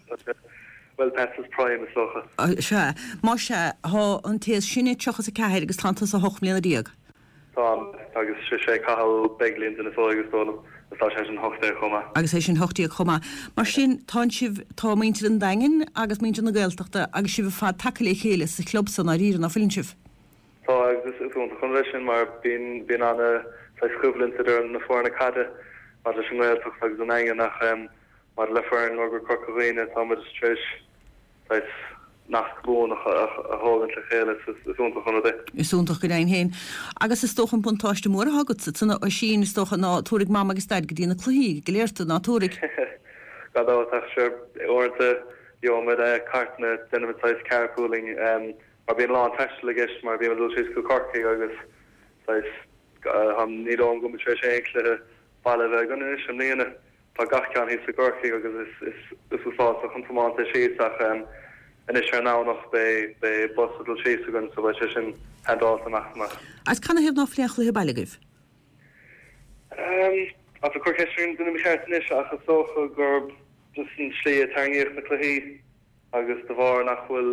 Well past his prime is dócha. Sea, má sea tá an té is sine tríocha a ceathair agus tá tusa hocht mbliana déag. Tá agus sé sé Cathal Beglin den is agus dólam is tá sé sin hocht déag chomh maith. Agus é sin hocht déag chomh maith. Mar sin tá sibh tá muintir an Daingin agus muintir na Gaeltachta agus sibh fad taca le chéile sa chlub san dáiríre ná fuileann sibh. Tá agus is iontach chun leis sin mar bíonn bíonn ana choimhlint idir na foirne caide mar leis an nGaeltacht agus an Daingean ach um, mar le foireann rugar Chorca Dhuibhne táimid tar éis nasc buan a thógaint le chéile is iontach an rud é. Is iontach go deimhin féin. Agus is dócha an buntáiste mór atá agat san Oisín is dócha ná tabharfaidh mam agus daid go dtí na cluichí go léir tú ná tabharfaidh. Gan dabht ach sure uaireanta gheobhaimid cartanna déanaimid saghas carpooling um, mar bíonn lán taistil i gceist mar bíonn dul síos go Corcaigh agus saghas ní dóigh liom go mbeidh sé aon chluiche baile bheith againn anois i mbliana. Tá gach ceann thíos i gCorcaigh agus is is is uafásach an tiomáint é síos ach um, anois ar an nDomhnach beidh beidh bus ag dul síos againn so beidh sé sin handáilte amach amach. Agus canathaobh ná fuil aon chluiche baile agaibh? Um, Tá cur ceist duine cheart anois ach is dócha gur just an slí a tarraingíodh na cluichí agus de bharr nach bhfuil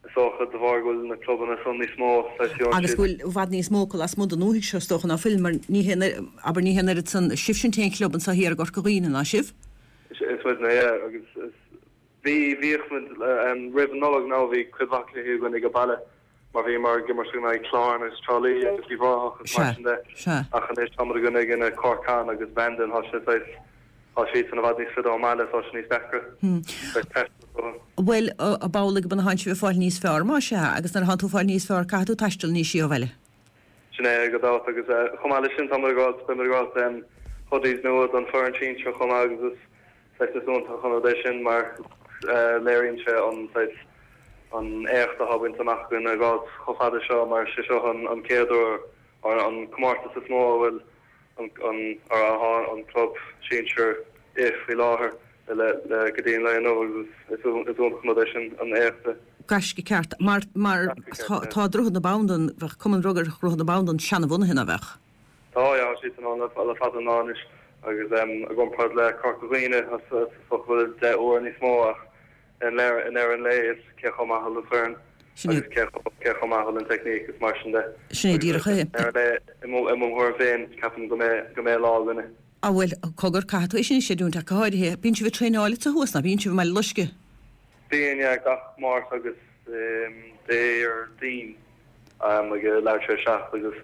is dócha de bharr go bhfuil na clubanna san níos mó Agus go bhfuil i bhfad níos mó acu lasmuigh den dúthaigh seo is dócha ná fuil mar ní hé abair ní hé an oiread san sibhse an t-aon chlub anseo thiar i gCorca Dhuibhne ná sibh? Is muidne yeah, agus is Bhí bhíodh muid roimh an Nollaig now bhí cuid mhaith cluichí againn ag baile mar bhí mar ag imirt in aghaidh Clár agus Trá Lí agus Uíbh Ráthach agus mar sin de. Ach anois táimid ag imirt in aghaidh Corcán agus Bandon tá sé saghas tá siad i bhfad níos faide ón mbaile tá sé níos deacra. Bhuel ab amhlaidh go bhfuil sibh ag fáil níos fearr más ea agus nuair atánn tú ag fáil níos fearr caithfidh tú taisteal níos sia ó bhaile. Sin é gan dabht agus chomh maith leis sin táimid ag fáil beimid ag fáil hoodies nua don foireann sinsir chomh maith agus is saghas is iontach an rud é sin mar léiríonn sé an saghas an éacht atá bainte amach againn a ghabháil chomh fada seo mar sé seo an an chéad uair or an comórtas is mó a bhfuil an an or atá an club sinsir i faoi láthair le le go dtí an lae inniu agus is is iontach an rud é sin an éacht. Gaisce ceart mar mar tá Droichead na Bandan bheadh Cumann Rugair Dhroichead na Bandan seanbhunaithe ná bheadh? Tá yeah tá siad ann le fada an lá anois agus i gcomparáid le Corca Dhuibhne is dócha go bhfuil deich uair níos mó ach i ndeireadh an lae is cé chomh maith a bhfuil an foireann agus cé cé chomh maith a bhfuil an teicníc is mar sin de. Sin é díreach é. I ndeireadh an lae i mo i mo thuairim féin ceapaim go mbeidh go mbeidh lá againne. Á bhuel cogar caithfidh tú é sin a chreidiúint ach go háirithe. Bíonn sibh ag traenáil sa thuas ná bíonn sibh i mBaile Loisce? Bíonn yeah gach Máirt agus Déardaoin ag leathuair tar éis a seacht agus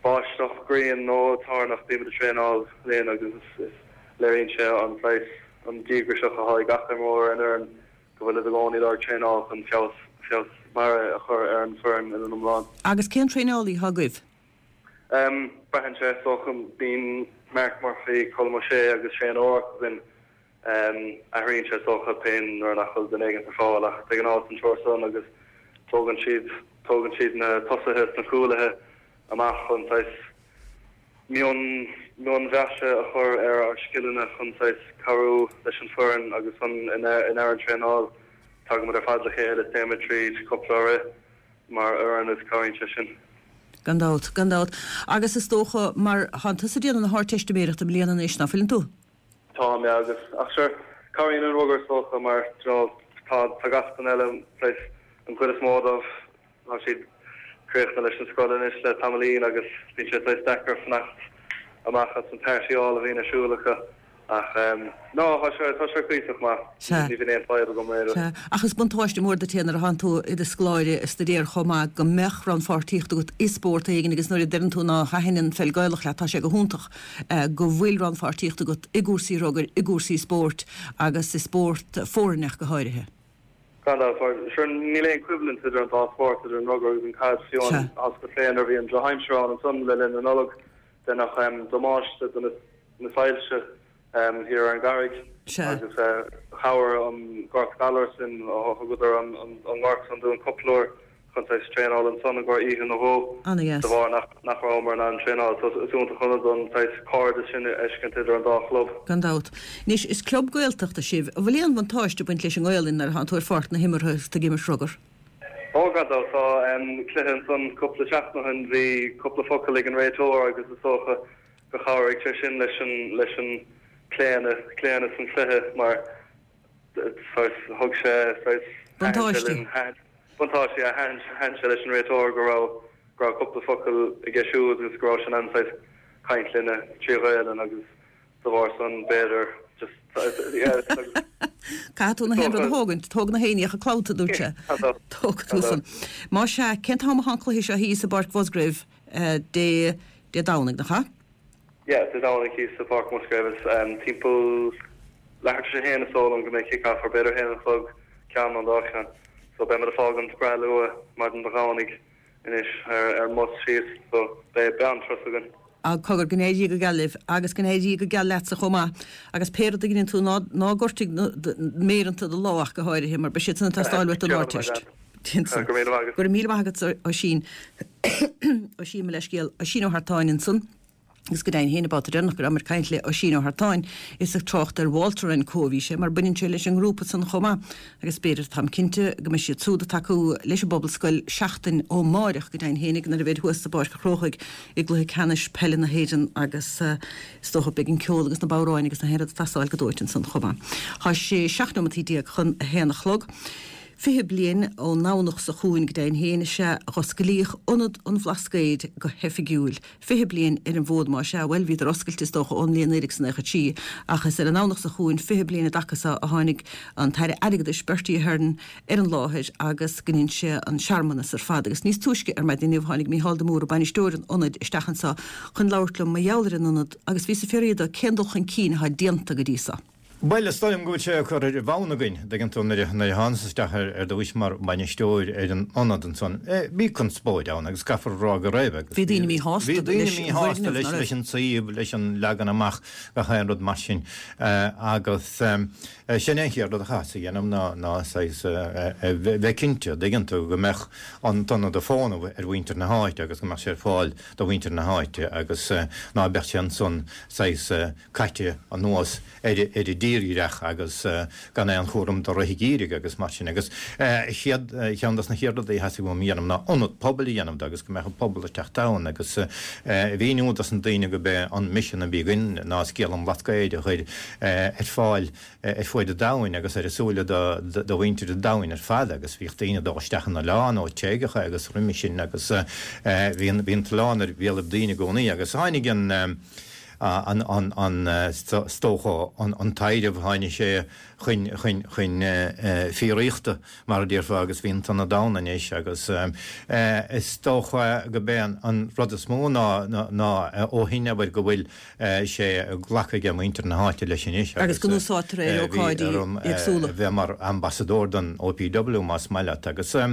báisteach, grian nó toirneach bímid ag traenáil linn agus is léiríonn sé an saghas an díograiseach atá ag gach imreoir ar an fhoireann go bhfuil i gcónaí ag traenáil chun feabhas feabhas barra a chur ar an foireann ina iomlán. Agus cén traenálaí atá agaibh? Um, braitheann sé so bíonn Mark Murphy, Colm O'Shea agus Shane O'Rourke againn um, athraíonn sé so pé nuair nach bhfuil duine éigin ar fáil ach de ghnáth an triúr san agus tógann siad tógann siad na tosaithe is na cúlaithe amach chun saghas mion mionmhaise a chur ar ár scileanna chun saghas cabhrú leis an foireann agus an in in ar an traenáil tagaimid ar fad le chéile is téimid tríd cúpla rith mar fhoireann is cabhraíonn sé sin. Gan dabht, gan dabht. Agus is dócha mar tá tusa ag déanamh na hArdteistiméireachta i mbliana anois ná fuileann tú? Tá mé agus ach sure cabhraíonn an rugar is dócha mar you know, tá tá gach duine eile saghas an chuid is mó dóibh tá siad críochnaithe leis an scoil anois le tamaillín agus bíonn sé saghas deacair fanacht amach as an partyáil a bhíonn ar siúl acu ach um, no tá sé tá sé cuíosach maith Sea. ní bhíonn aon fadhb agam réir. Sea. Ach is buntáiste mór duit é nuair atánn tú i do scoláire ag staidéar chomh maith go mbeadh rannpháirtíocht agat i spórt éigin agus nuair a deireann tú ná thaitníonn an pheil Ghaelach leat tá sé go hiontach eh, go bhfuil rannpháirtíocht agat i gcúrsaí rugair, i gcúrsaí spóirt agus i spórt foirne go háirithe. Gan dabht, mar sure níl aon coimhlint idir an dá spórt idir an rugar agus an caid fiú Sea. as go féin ar bhí an drochaimsir ann ansan le linn na Nollag deineadh um, damáiste do na, na soilse um, thiar ar an gCarraig Sea. agus uh, chabhair an Gort Galar sin ó thugadar an, an, an gort san dúinn cúpla uair chun saghas traenáil ansan i gcomhair oíche nó dhó Ana-dheas. de bharr nach nach rabhamar in ann traenáil so is iontach an rud an saghas cairdeas sin a fheiscint idir an dá chlub. Gan dabht. Anois is club Gaeltachta sibh, an bhfuil aon bhuntáiste ag baint leis an nGaelainn nuair atánn tú ar pháirc na himeartha is tú ag imirt rugar. Ó gan dabht tá um, cluiche ansan cúpla seachtain ó shin bhí cúpla focal ag an réiteoir agus is dócha go chabhraigh sé sin leis an leis an claonadh claonadh san chluiche mar saghas thug sé saghas Buntáiste. buntáiste a thaitin thaitin sé leis an réiteoir go raibh go raibh cúpla focal aige siúd agus go raibh sin an saghas caint linne trí Ghaelainn agus de bharr san b'fhéidir just yeah, agus- Caithfidh tú na haon rud a thógaint, tóg na héiníocha clabhta dúirt sé. Gan dabht. Tóg tú san. Má sea cén t-am atá an cluiche seo thíos i bPáirc Mhusgrave eh, Dé Dé Domhnaigh nach ea? Yeah, Dé Domhnaigh thíos sa Pháirc Musgrave is um, timpeall leathuair tar éis a haon is dóigh liom go mbeidh kick-off ar b'fhéidir haon a chlog ceann an dá cheann. So beidh muid ag fágaint breá luath maidin Dé Domhnaigh anois ar ar mbus síos so beidh bean turas againn. A cogar go n-éirí go geal libh agus go n-éirí go geal leatsa chomh maith agus pé rud a dhéanann tú ná ná gortaigh méireanta do lámh ach go háirithe mar beidh siad san ag teastáil uait don Ardteist. Go raibh míle maith agat. Go raibh míle maith agat Oisín Oisín me leiscéal Oisín Ó hArtáin ansan. Agus go deimhin féin an babhta deireanach go rabhamar ag caint le Oisín Ó Hartáin is ag trácht ar Walter and Co bhí sé mar baineann sé leis an ngrúpa san chomh maith agus b'fhéidir táim cinnte go mbeidh siad siúd ag tacú leis an bPobalscoil seachtain ó amárach go deimhin féinig nuair a bheid thuas sa bPáirc an Chrócaigh i gcluiche ceannais peile na hÉireann agus uh, is dócha beidh an ceol agus na bodhráin agus na héad ag teastáil go dóite ansan chomh maith. Tá sé seacht nóiméad déag chun a haon a chlog. Fiche bliain ón nDomhnach seo chugainn go deimhin féin is ea a dh'osclaíodh Ionad an Bhlascaoid go hoifigiúil. Fiche bliain ar an bhfód más ea, bhuel bhíodar oscailte is dócha ón mbliain naoi déag is naocha trí ach is ar an nDomhnach seo chugainn fiche bliain i dtaca so a tháinig an tAire Airgeadais Bertie Ahern ar an láthair agus go ndein sé an searmanas ar fad. Agus níos túisce ar maidin inniu tháinig Mícheál de Mórdha, bainisteoir an Ionaid, isteach anso chun labhairt liom mar gheall ar an Ionad agus bhíos ag fiafraí de cén dul chun cinn atá déanta go dtí so. Bhuel, is dóigh liom go bhfuil sé curtha ar bhonn againn, dtuigeann tú, nuair a thánas isteach ar dtúis mar bhainisteoir ar an ionad ansan, bhí conspóid ann agus caithfear a rá go raibh agus Bhí daoine míshásta bhí daoine míshásta leis leis an suíomh, leis an leagan amach, gach aon rud mar sin agus sin é an chéad rud a chaitheas a dhéanamh ná ná saghas bheith cinnte, dtuigeann tú, go mbeadh an t-ionad ag fónamh ar mhuintir na háite agus go mbeadh sé ar fáil do mhuintir na háite agus ná beadh sé ansan saghas caite anuas ar ar an dtírdhreach agus gan aon chúram do rith an gheimhridh agus mar sin. Agus chéad, cheann dos na chéad rudaí a theastaigh uaim a dhéanamh ná ionad pobail a dhéanamh de agus go mbeadh an pobal ag teacht ann agus a mhíniú dos na daoine go b'é an misean a bhí againn ná scéal an Bhlascaoid a chur ar fáil ar fuaid an domhain agus ar a súile do do mhuintir an domhain ar fad agus bhíodh daoine ag dul isteach an oileán ó Tréigeacha agus roimhe sin agus bhí an bhí an t-oileán ar bhéalaibh daoine i gcónaí agus tháinig an an an an is dócha an an taibhreamh tháinig sé chun chun chun fíoraíochta mar a déarfá agus bhí an t-ionad ann anois agus is dócha go b'é an an rud is mó ná ná ó shin abair go bhfuil sé glactha ag muintir na háite leis anois agus go n-úsáidtear é ar ócáidí éagsúla. bheith mar ambasadóir don OPW más maith leat agus a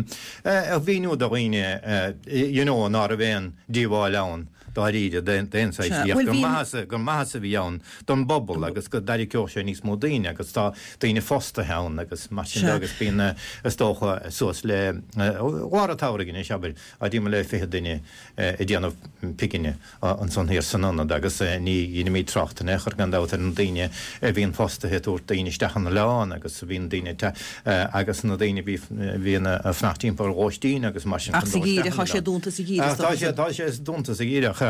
mhíniú do dhaoine you know ná raibh aon díobháil ann dáiríre d'aon saghas Sea, ach bhuel gur bhí an. maitheas gur maitheas a bhí ann don bpobal agus go dtarraiceodh sé níos mó daoine agus tá daoine fostaithe ann agus mar sin de Sea. agus bíonn is dócha suas le lár an tsamhraidh anois abair timpeall le fiche duine ag déanamh pingine ansan thiar san ionad agus ní dheinimid trácht in aon chor gan dabht ar na daoine a bhíonn fostaithe ag tabhairt daoine isteach an oileán agus a bhíonn daoine agus na daoine a bhíonn ag fanacht timpeall ar lóistín agus mar sin Ach chun sa dul gheimhreadh, isteach tá an sé oileán. dúnta sa gheimhreadh is Tá dócha sé san. tá sé dúnta sa gheimhreadh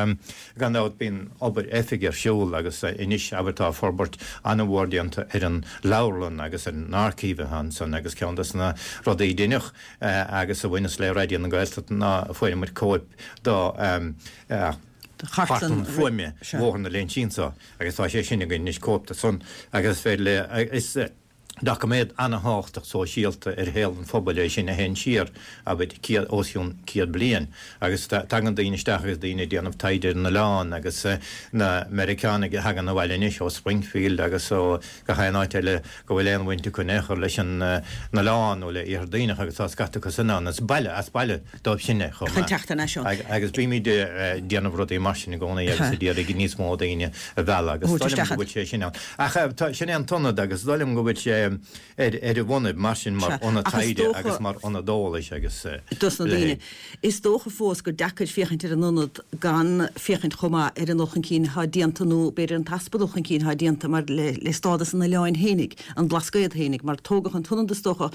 gan dabht bíonn obair oifige ar siúl agus anois abair tá forbairt an-mhór déanta ar an leabharlann agus ar an archive atá ansan agus ceann des na rudaí a deineadh agus a bhaineas le Raidió na Gaeltachta ná fuair muid cóip do Chartlann chartlann fuaime Bhóthar na Léinsí anso agus tá sé sin againn anois cóip de san agus is féidir le is doiciméad an-thábhachtach sóisialta ar shaol an phobail é sin a théann siar abair céad os cionn céad bliain agus tagann daoine isteach agus daoine ag déanamh taighde ar an oileán agus na Meiriceánaigh a thagann abhaile anois ó Springfield agus ó gach aon áit eile go bhfuil aon bhaint acu in aon chor leis an oileán nó le Iarthar Duibhneach agus tá scata acu sin ann. Is baile as baile dóibh sin é chomh Chun maith. teacht thar n-ais ann. Agus bímid ag déanamh rudaí mar sin i gcónaí agus ag iarraidh níos mó daoine a mhealladh agus Thabhairt dóigh liom isteach go bhfuil sé sin ann. Ach tá, sin é an t-ionad agus dóigh liom go bhfuil sé ar ar a bhonnaibh mar sin mar Sea. ionad Ach is taighde dócha agus mar ionad eolais agus dos na daoine. Is dócha fós gur deacair féachaint ar an ionad gan féachaint chomh maith ar an dul chun cinn atá déanta nó b'fhéidir an t-easpa dul chun cinn atá déanta mar le le stádas an oileáin fhéinig, an Blascaod fhéinig, mar tógadh an t-ionad is dócha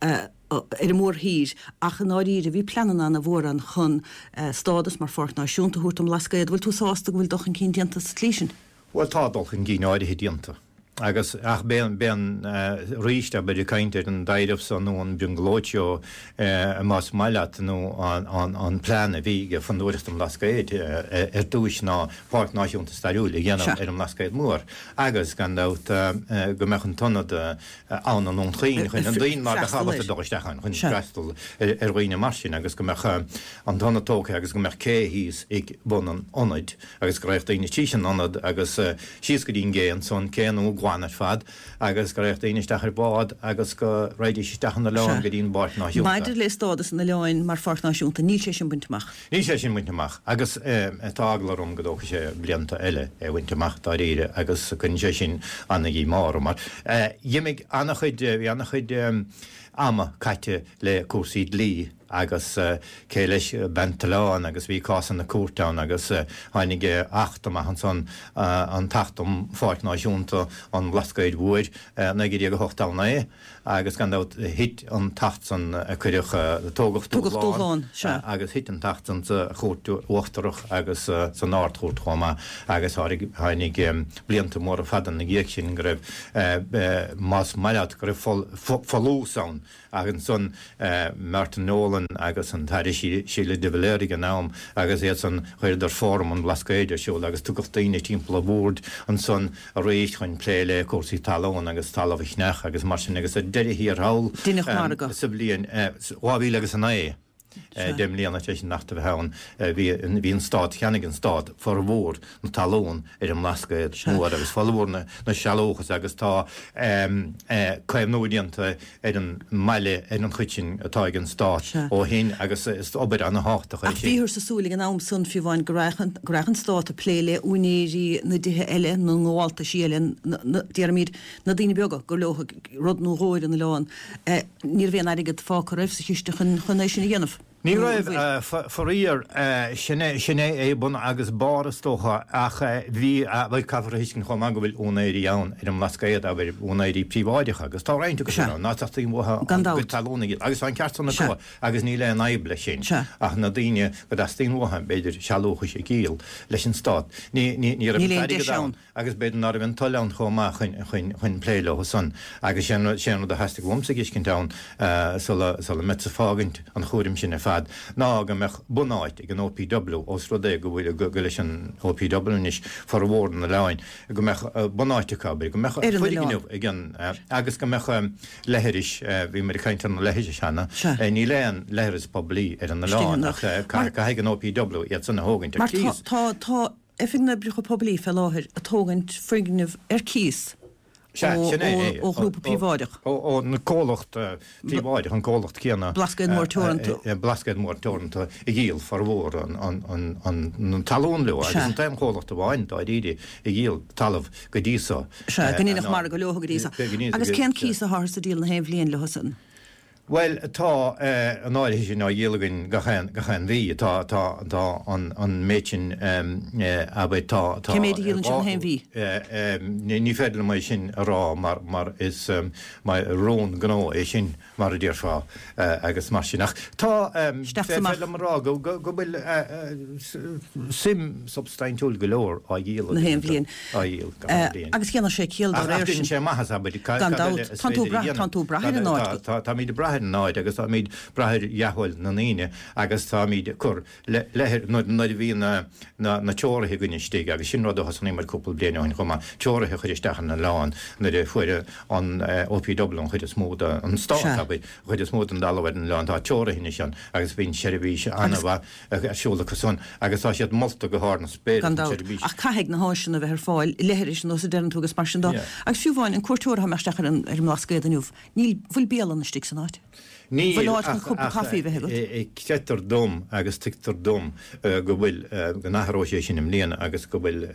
ar an mórthír ach i ndáiríre bhí pleananna ana mhór ann chun stádas mar pháirc náisiúnta a thabhairt don mBlascaod. Bhfuil tú sásta go bhfuil dul chun cinn déanta sa tslí sin? Bhuel tá dul chun cinn áirithe déanta agus ach b'é b'é an arís abair ag caint ar an dtaibhreamh so nó an brionglóid seo más maith leat nó an an an plean a bhí ag Fondúireacht an Bhlascaoid ar dtúis ná Páirc Náisiúnta Stairiúil a dhéanamh Sea. ar an mBlascaod Mór agus gan dabht go mbeadh an t-ionad ann i nDún Chaoin chun na daoine ná beadh Freastal ábalta air. dul isteach ann chun Sea. freastal ar ar dhaoine mar sin agus go mbeadh an t-ionad tógtha agus go mbeadh cé thíos ag bun an ionaid agus go raghadh daoine tríd an ionad agus síos go dtí an gcé ansan, cé nua glan ar fad, agus go raghadh daoine isteach ar bhád agus go raghaidís isteach an oileán Sea. go dtí an bPáirc Náisiúnta. Maidir le stádas an oileáin mar Pháirc Náisiúnta, níl sé sin bainte amach. Níl sé sin bainte amach agus tá eagla orm go dtógfaidh sé blianta eile é a bhaint amach dáiríre agus cuireann sé sin ana-dhíomá orm mar dh'imigh ana-chuid, bhí ana-chuid ama caite le cúrsaí dlí. agus cé leis an t-oileán agus bhí cásanna cúirte ann agus tháinig acht amach ansan, an tAcht um Pháirc Náisiúnta an Bhlascaoid Mhóir, naoi déag a hocht a naoi, agus gan dabht thit an tAcht san a cuireadh, tógadh dúshlán agus thit an tAcht san sa Chúirt Uachtarach agus san Ard-Chúirt chomh maith agus tháinig blianta móra fada ina dhiaidh sin go raibh, más maith leat, go raibh folús ann. Ach ansan Martin Nolan agus an tAire Síle de Valera ag an am agus iad san chuireadar Fóram an Bhlascaoid ar siúl agus tugadh daoine timpeall an bhoird ansan arís chun plé le cúrsaí talún agus talamh a cheannach agus mar sin agus ar deireadh thiar thall sa bhliain dhá mhíle agus a naoi, deich mbliana tar éis an Acht a bheith ann, bhí an Stát, cheannaigh an Stát formhór na talún ar an mBlascaod Mór agus formhór na sealúchas agus tá caomhnú déanta ar an mbaile ar an chuid sin atá ag an Stát ó shin agus is obair ana-thábhachtach é sin. Ach bhíothar sa súil ag an am san, fiú amháin, go rachadh an Stát ag plé le úinéirí na dtithe eile, na ngabháltaisí eile, déarfaimid, na daoine beaga gur leo rud nó dhó ar an oileán. Ní raibh aon airgead fágtha riamh sa chiste chun é sin a dhéanamh. Ní raibh, faraor. Sin é bun agus barr is dócha ach bhí, bhuel caithfear a thuiscint chomh maith go bhfuil úinéirí ann ar an mBlascaod, abair, úinéirí príobháideacha agus tá roinnt acu sin ann, ná teastaíonn uathu a gcuid talún a dhíol agus tá an ceart san acu agus níl aon fhadhb leis sin ach na daoine go dteastaíonn uathu b'fhéidir sealúchais a dhíol leis an Stát, ní raibh an t-airgead ann. agus b'fhéidir ná raibh an toil ann chomh maith chun chun plé leo san agus sé an rud a theastaigh uaimsa a fheiscint ann sula sula mbeadsa fágaint an chúraim sin ar fad ná go mbeadh bunáit ag an OPW ós rud é go bhfuil go leis an OPW anois formhór an oileáin go mbeadh bunáit acu abair go mbeadh foirgneamh ag an agus go mbeadh leithris bhí muid ag caint ar na leithris cheana níl aon leithreas poiblí ar an oileán ach caithfidh an OPW iad san a thógaint ar cíos. Mar tá tá Oifig na nOibreacha Poiblí fé láthair ag tógaint foirgneamh ar cíos ó ghrúpa príobháideach. Ón gcomhlacht príobháideach, an comhlacht céanna. Blascaod Mór Teoranta. Blascaod Mór Teoranta a dhíol formhór an talún leo agus an t-aon chomhlacht amháin dáiríre a dhíol talamh go dtí so. Sea, go ndéanfadh margadh leo go dtí so. Agus cén cíos atáthar a dhíol na haon bhliain leo san? Bhuel, tá an áirithe sin á dhíol againn gach aon, gach aon mhí. Tá, tá, tá an, an méid sin, abair, tá, tá. Cé méid a dhíolann sibh na haon mhí? Ní féidir liom é sin a rá mar, mar is, mar rún gnó é sin, mar a déarfá, agus mar sin. Ach tá, féidir liom a rá go, go, go bhfuil suim substaintiúil go leor á dhíol againn. Na haon bhliain. Á dhíol gach aon bhliain. Agus dhéanfadh sé ciall dá réir sin. Ach déanann sé maitheas, abair, Gan dabht. Tánn tú ag brath, tánn tú ag brath ar an áit. Táimid ag brath ar an áit agus táimid ag brath ar dhea-thoil na ndaoine agus táimid ag cur leithris nuair a bhí na teoraithe againn istigh agus sin rud a thosnaigh muid cúpla bliain ó shin chomh maith, teoraithe a chur isteach ar an oileán nuair a fuair an OPW an chuid is mó de, an Stát, abair, an chuid is mó den dtalamh ar an oileán. Tá teoraithe anois ann agus bíonn seirbhís an-mhaith ar siúl acu san agus tá siad molta go hard na spéire Gan dabht. Ach caithfidh na háiseanna a bheith ar fáil, leithris nós a deireann tú agus mar sin dó. Agus fiú amháin an cuairteoir atá ag imeacht isteach ar an ar an mBlascaod inniu, níl, bhfuil bialann istigh san áit? Níl, Bhfuil áit chun ach, cúpla ach caife a bheith agat? creidtear dom agus tuigtear dom go bhfuil, go n-athróidh sé sin i mbliana agus go bhfuil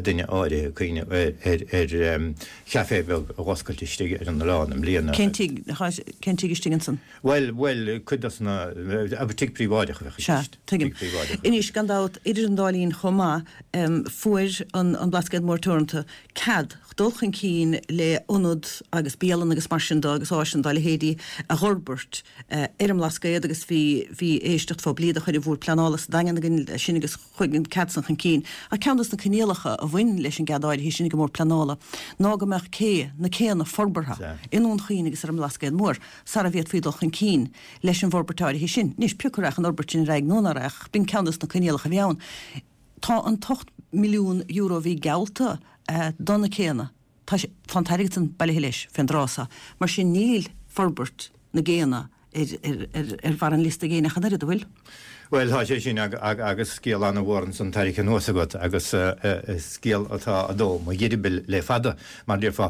duine áirithe ag cuimhneamh ar, ar, ar chaifé beag a dh'oscailt istigh ar an oileán i mbliana. Cén tigh, cén tigh istigh ansan? Bhuel, bhuel, cuid dos na, abair tigh príobháideach a bheadh i Sea, gceist. tuigim. Tigh príobháideach. Anois, gan dabht, idir an dá linn chomh maith, fuair an an Blascaod Mór Teoranta cead dul chun cinn le ionad agus bialann agus mar sin de agus áiseanna dá leithéidí a dh'fhorbairt ar an mBlascaod agus bhí, bhí éisteacht phoiblí do chuir an Bhord Pleanála sa Daingean againn leis sin agus chuaigh an cead san chun cinn. Ach ceann dos na coinníollacha a bhain leis an gcead áirithe sin ag an mBord Pleanála ná go mbeadh cé, na céanna forbartha i nDún Chaoin agus ar an mBlascaod Mór sara bhféadfaí dul chun cinn leis an bhforbairt áirithe sin. Anois, pé acu a rachadh an fhorbairt sin ar aghaidh nó ná rachadh, b'in ceann dos na coinníollacha a bhí ann. Tá an t-ocht milliún euro a bhí geallta do na céanna, tá sé, tá an t-airgead san bailithe leis fén dtráth so. Mar sin níl forbairt na gcéanna ar bharr an liosta ag éinne ach an oiread, an bhfuil? Bhuel, tá sé sin agus scéal an-mhór ansan tarraingthe anuas agat agus scéal atá ag dó mo gheirbil le fada, mar a déarfá.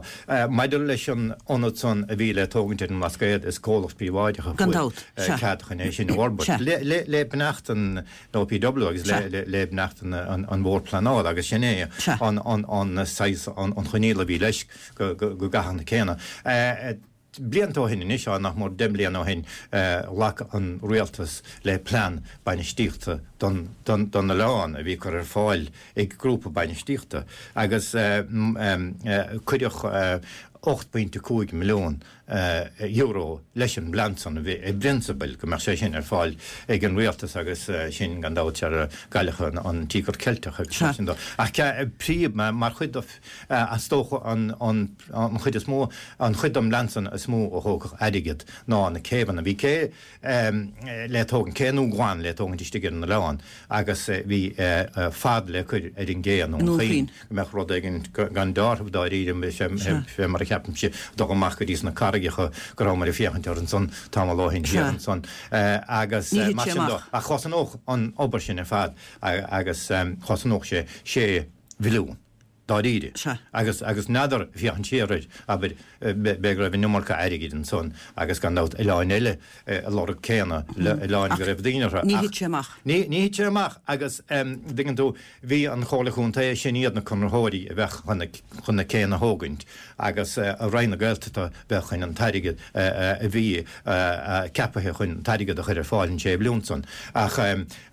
Maidir leis an ionad san a bhí le tógaint ar an mBlascaod, is comhlacht príobháideach a fuair cead chun é sin a fhorbairt, le beannacht an OPW agus le beannacht an Bhord Pleanála agus sin é an saghas, an choinníoll a bhí leis go gcaithfeadh na céanna. Blianta ó shin anois, á, nach mór deich mbliana ó shin, ghlac an rialtas le plean bainistíochta don don oileán a bhí curtha ar fáil ag grúpa bainistíochta agus cuireadh ocht bpointe cúig milliún euro leis an bplean san, a bhí i bprionsabal go mbeadh sé sin ar fáil ag an rialtas agus sin gan dabht ar cailleadh an Tíogar Ceilteach agus mar sin dó. Ach príomh mar chuid de Is dócha an an chuid is mó, an chuid den bplean san is mó a thógfadh airgead ná na céibheanna. Bhí cé le tógaint, cé nua glan le tógaint istigh ar an oileán agus bhí fad le cur ar an gcé i nDún Chaoin go mbeadh rud éigin gan deáramh dáiríre, fé mar a cheapaimse, dul amach go dtí sna carraigeacha go rabhamar ag féachaint orthu ansan tamall ó shin thiar ansan agus mar sin dó. Ach chosnódh an obair sin ar fad agus chosnódh sé sé mhilliún. dáiríre. Sea. Agus, agus n'fheadar, féachaint siar air, abair, b'fhéidir go raibh an iomarca airgid ansan agus gan dabht oileáin eile ag lorg céanna, oileáin go raibh daoine orthu. Ní thit sé amach. Ní, ní thit sé amach agus, dtuigeann tú, bhí an Chomhairle Chontae, sin iad na conraitheoirí a bheadh chun na, chun na céanna a thógaint agus Roinn na Gaeltachta bheadh chun an t-airgead a bhí ceapaithe chun an t-airgead a chur ar fáil an sé mhilliún san. Ach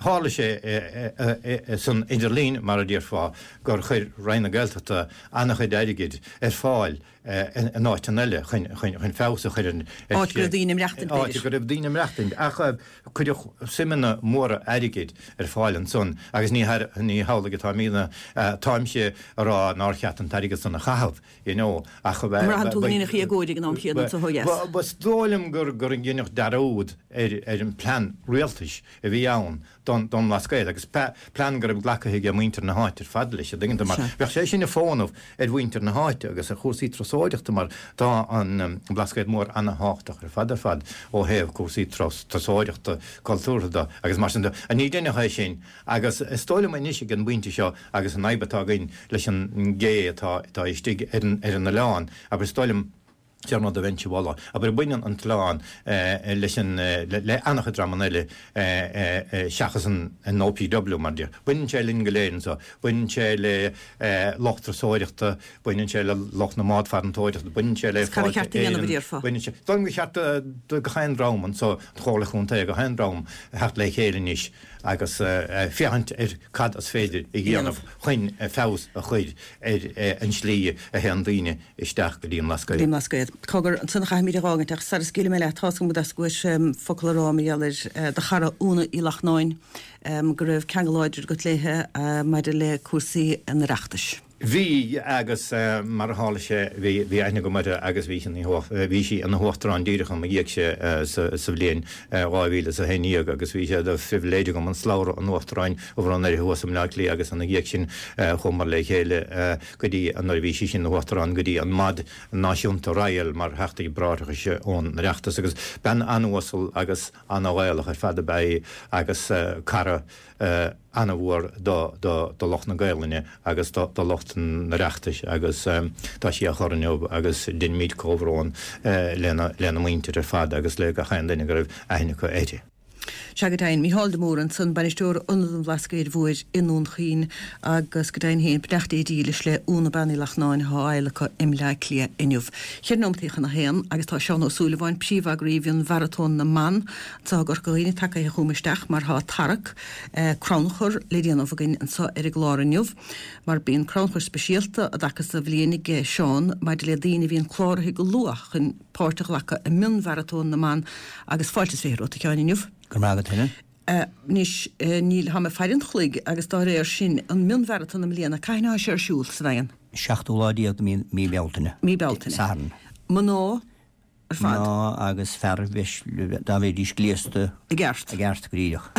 tharla sé san idirlinn, mar a déarfá, gur chuir Roinn na Gaeltachta an-chuid airgid ar fáil in áiteanna eile chun chun feabhas a chur ar Áit go raibh daoine ag maireachtaint, b'fhéidir. Áit go raibh daoine ag maireachtaint. Ach cuireadh suimeanna móra airgid ar fáil ansan agus ní ní hamhlaidh atáimidne, táimse a rá nár cheart an t-airgead san a chaitheamh, you know, ach An mbraitheann tú go ndéanfaí agóid ag an am chéanna anseo ó dheas? Is dóigh liom gur gur deineadh dearúd ar ar an bplean rialtais a bhí ann don don mBlascaod agus plean go raibh glactha ag muintir na háite ar fad leis, an dtuigeann tú, mar bheadh sé sin ag fónamh ar mhuintir na háite agus ar chúrsaí turasóireachta mar tá an Blascaod Mór ana-thábhachtach ar fad ar fad ó thaobh cúrsaí turasóireachta cultúrtha de agus mar sin de. Ní deineadh é sin agus is dóigh liom anois ag an bpointe seo agus an fhadhb atá againn leis an gcé atá atá istigh ar an ar an oileán, abair is dóigh liom, Sé an rud a bheinnse a mholadh, abair, baineann an t-oileán leis an, le an-chuid dreamanna eile seachas an OPW, mar a déarfá. Baineann sé linn go léir anseo. Baineann sé le lucht turasóireachta, baineann sé le lucht na mbád farantóireachta, baineann sé le Cad ba Fáilte cheart a dhéanamh, a Éireann, déarfá? baineann sé, dóigh liom gur cheart do gach aon dream anseo, an Chomhairle Chontae, gach aon dream theacht le chéile anois agus féachaint ar cad is féidir a dhéanamh chun feabhas a chur ar an slí a théann daoine isteach go dtí an Go dtí an mBlascaod. Cogar, ansan a chaithfimid a dh'fhágaint, ach sara scaoilfidh mé leat, tá's agam go dteastóidh focal a rá mar gheall ar do chara Úna Uí Lachtnáin, go raibh ceangal láidir agat léithe maidir le cúrsaí an Oireachtais. Bhí, agus mar a tharla sé, bhí, bhí aithne agam uirthi agus bhí sí ina, bhí sí ina huachtarán díreach i mo dhiaidhse sa, sa bhliain dhá mhíle is a haon déag agus bhí sé de phribhléid agam an slabhra an uachtaráin a bhronnadh uirthi thuas i mBleá Cliath agus ina dhiaidh sin chuamar le chéile go dtí nuair a bhí sí sin ina huachtarán go dtí an Maid Náisiúnta Royal mar Theachtaí Bráithreachais ón Oireachtas agus bean an-uasal agus an-Ghaelach ar fad ab ea í agus cara an-mhór do lucht na Gaelainne agus do lucht an Oireachtais agus tá sí á chur inniu agus deinimid comhbhrón lena muintir ar fad agus le gach aon duine go raibh aithne acu uirthi. Sea, go deimhin, Mícheál de Mórdha ansan, Bainisteoir Ionad an Bhlascaoid Mhóir i nDún Chaoin agus go deimhin féin, beannacht Dé dílis le Úna Bean Uí Lachtnáin atá á adhlacadh i mBleá Cliath inniu. Ceithre nóimeataí chun a haon agus tá Seán Ó Súilleabháin, príomheagraí Mhionmharatón na mBan anseo i gCorca Dhuibhne tagaithe chugam isteach mar tá tarrac, crannchur le déanamh againn anseo ar an gclár inniu mar bíonn crannchur speisialta i dtaca sa bhliain ag Seán maidir le daoine a bhíonn cláraithe go luath chun páirt a ghlacadh i Mionmharatón na mBan agus fáilte is fiche romhat a Sheáin inniu. Go raibh maith agat Helen. Anois, níl, tá mé ag faire an chloig agus dá réir sin, an Mionmharatón i mbliana, cathain atá sé ar siúl sa Daingean? Seachtú lá déag de mí, mí Bealtaine. Mí Bealtaine. Satharn. Mná ar fad. Mná agus fear, dá mbeidís gléasta. I gceart. I gceart, go díreach.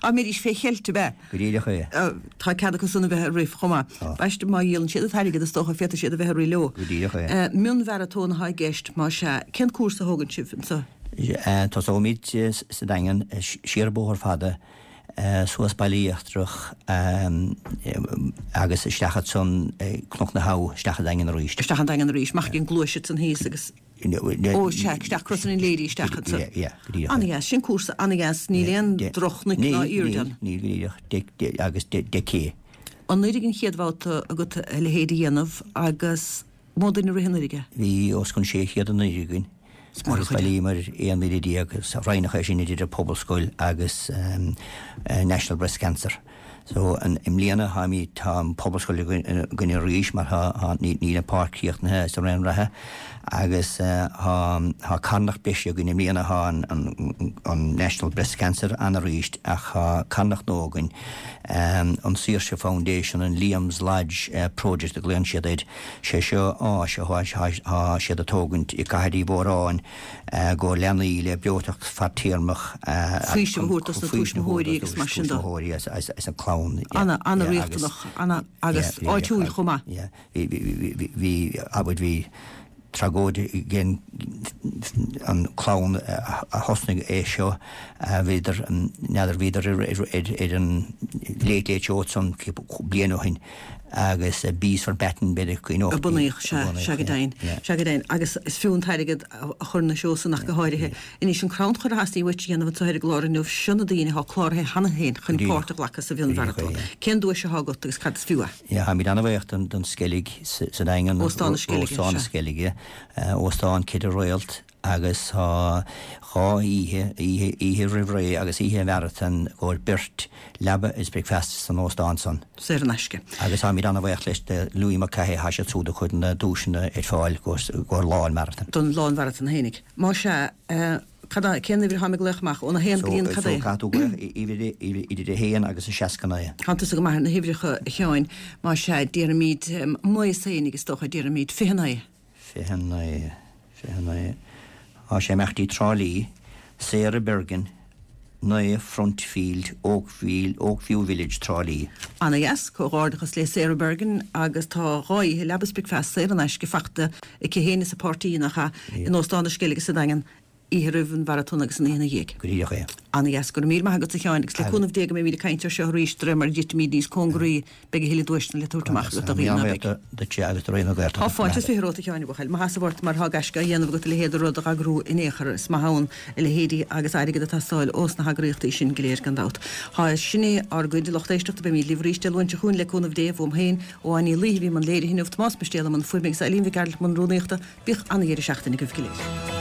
Dá mbeidís fé cheilt, ab ea? Go díreach é. Tá cead acu san a bheith ag rith chomh maith. Tá. B'aisteach má dhíolann siad an t-airgead is dócha féadfaidh siad a bheith ag rith leo. Go díreach é. Mionmharatón atá i gceist, más ea. Cén cúrsa a thógann sibh anseo? Tosóimid sa Daingean, siar an Bóthar Fada, suas Baile Íochtarach agus isteach ansan Cnoc na hAbha, isteach an Daingean arís. Isteach an Daingean arís, amach ag an gCluais ansan thíos agus. Ó, sea, isteach Crosaire na Léirí isteach ansan. Yeah, yeah, go díreach. An-dheas, sin cúrsa an-dheas, níl aon droch-chnoic ná airde ann. Níl, níl, go díreach, agus deich K. Anuraidh an chéad bhabhta agat a leithéid a dhéanamh agus mó duine a rith anuraidh é? Bhí os cionn sé chéad anuraidh againn. Is mór an Agus chuid é. bhailíomar aon mhíle déag, is roinneadh é sin idir an Pobalscoil agus National Breast Cancer. So an, i mbliana táimid, tá an Pobalscoil againn arís mar tá, tá, níl an páirc críochnaithe sa raon reatha agus tá, tá carthanacht breise againn i mbliana, tá an, an, an National Breast Cancer ann arís ach tá carthanacht nua againn, an Saoirse Foundation, an Liam's Lodge Project a ghlaonn siad air, sé seo áis atá, tá siad ag tógaint i gCathair Uí Mhóráin, go leanaí le breoiteacht fadtéarmach Faoiseamh a thabhairt dos na tuismitheoirí agus mar sin de. Tuismitheoirí is an clann. Ana, ana riachtanach, ana agus áitiúil chomh maith. Bhí, bhí, bhí, abair bhí tragóid ag an clann a thosnaigh é seo, bhíodar, n'fheadar, bhíodar ar an Late Late Show ansan bliain ó shin agus Bees for Batten, b'fhéidir, A bunaíodh, sea, sea go deimhin, sea go deimhin. Agus is fiú an t-airgead a chur ina seó san ach go háirithe. Anois, an crannchur a theastaigh uait a dhéanamh anseo ar an gclár inniu, seo na daoine atá cláraithe cheana féin chun páirt a ghlacadh sa mhionmharatón. Cén duais atá agat agus cad is fiú é? Yeah, táimid an-bhuíoch don Sceilg sa Daingean. Óstán na Sceilge, sea. Óstán na Sceilge, óstán ceithre réalt. Agus tá dhá oíche, oíche, oíche roimh ré agus oíche an mharatóin i gcomhair beirt, leaba is bricfeasta san óstán san. Saor in aisce. Agus táimid an-bhuíoch leis de Louis Mulcahy, tá siad siúd ag cur na duaiseanna ar fáil i gcomhair lá an mharatóin. Don lá an mharatóin fhéinig. Má sea, cad é, cén uimhir atáim ag glaoch amach? Óna haon go dtí an cad é? So, caithfidh tú glaoch idir a haon agus a seasca naoi. Tá tusa go maith ar na huimhreacha, a Sheáin. Má sea, déarfaimid naoi féinig is dócha, déarfaimid fiche naoi. Fiche naoi. Fiche naoi. Tá sé ag imeacht dtí Trá Lí, Sarah Bergin, naoi Front Field, Oakview, Oakview Village, Trá Lí. Ana dheas, comhghairdeachas le Sarah Bergin agus tá dhá oíche leaba is bricfeasta saor in aisce fachta aici féin is a páirtí, nach ea, in Óstán na Sceilge sa Daingean oíche roimh an mharatón agus an oíche ina dhiaidh. Go díreach é. Ana dheas, go raibh míle maith agat a Sheáin agus le cúnamh Dé go mbeimid ag caint air seo arís de réir mar a thitfimid níos cóngaraí beidh a thuilleadh duaiseanna le tabhairt amach agat do dhaoine ná beidh. Duitse agus do Raidió na Gaeltachta. Tá fáilte is fiche romhat a Sheáin a bhuachaill. Maitheas ort mar tá gaisce á dhéanamh agat a leithéid de rud a eagrú in aon chor. Is maith ann a leithéidí agus airgead ag teastáil ós na heagraíochtaí sin go léir gan dabht. Tá sin é ár gcuid lucht éisteachta beimid libh arís Dé Luain seo chugainn le cúnamh Dé uaim féin ó Áine Ní Laoithe a bhí i mbun léirithe inniu, Tomás Mistéal i mbun fuaime agus Eileen Mhic Gearailt i mbun rúnaíochta. Bíodh ana-dheireadh seachtaine agaibh go léir.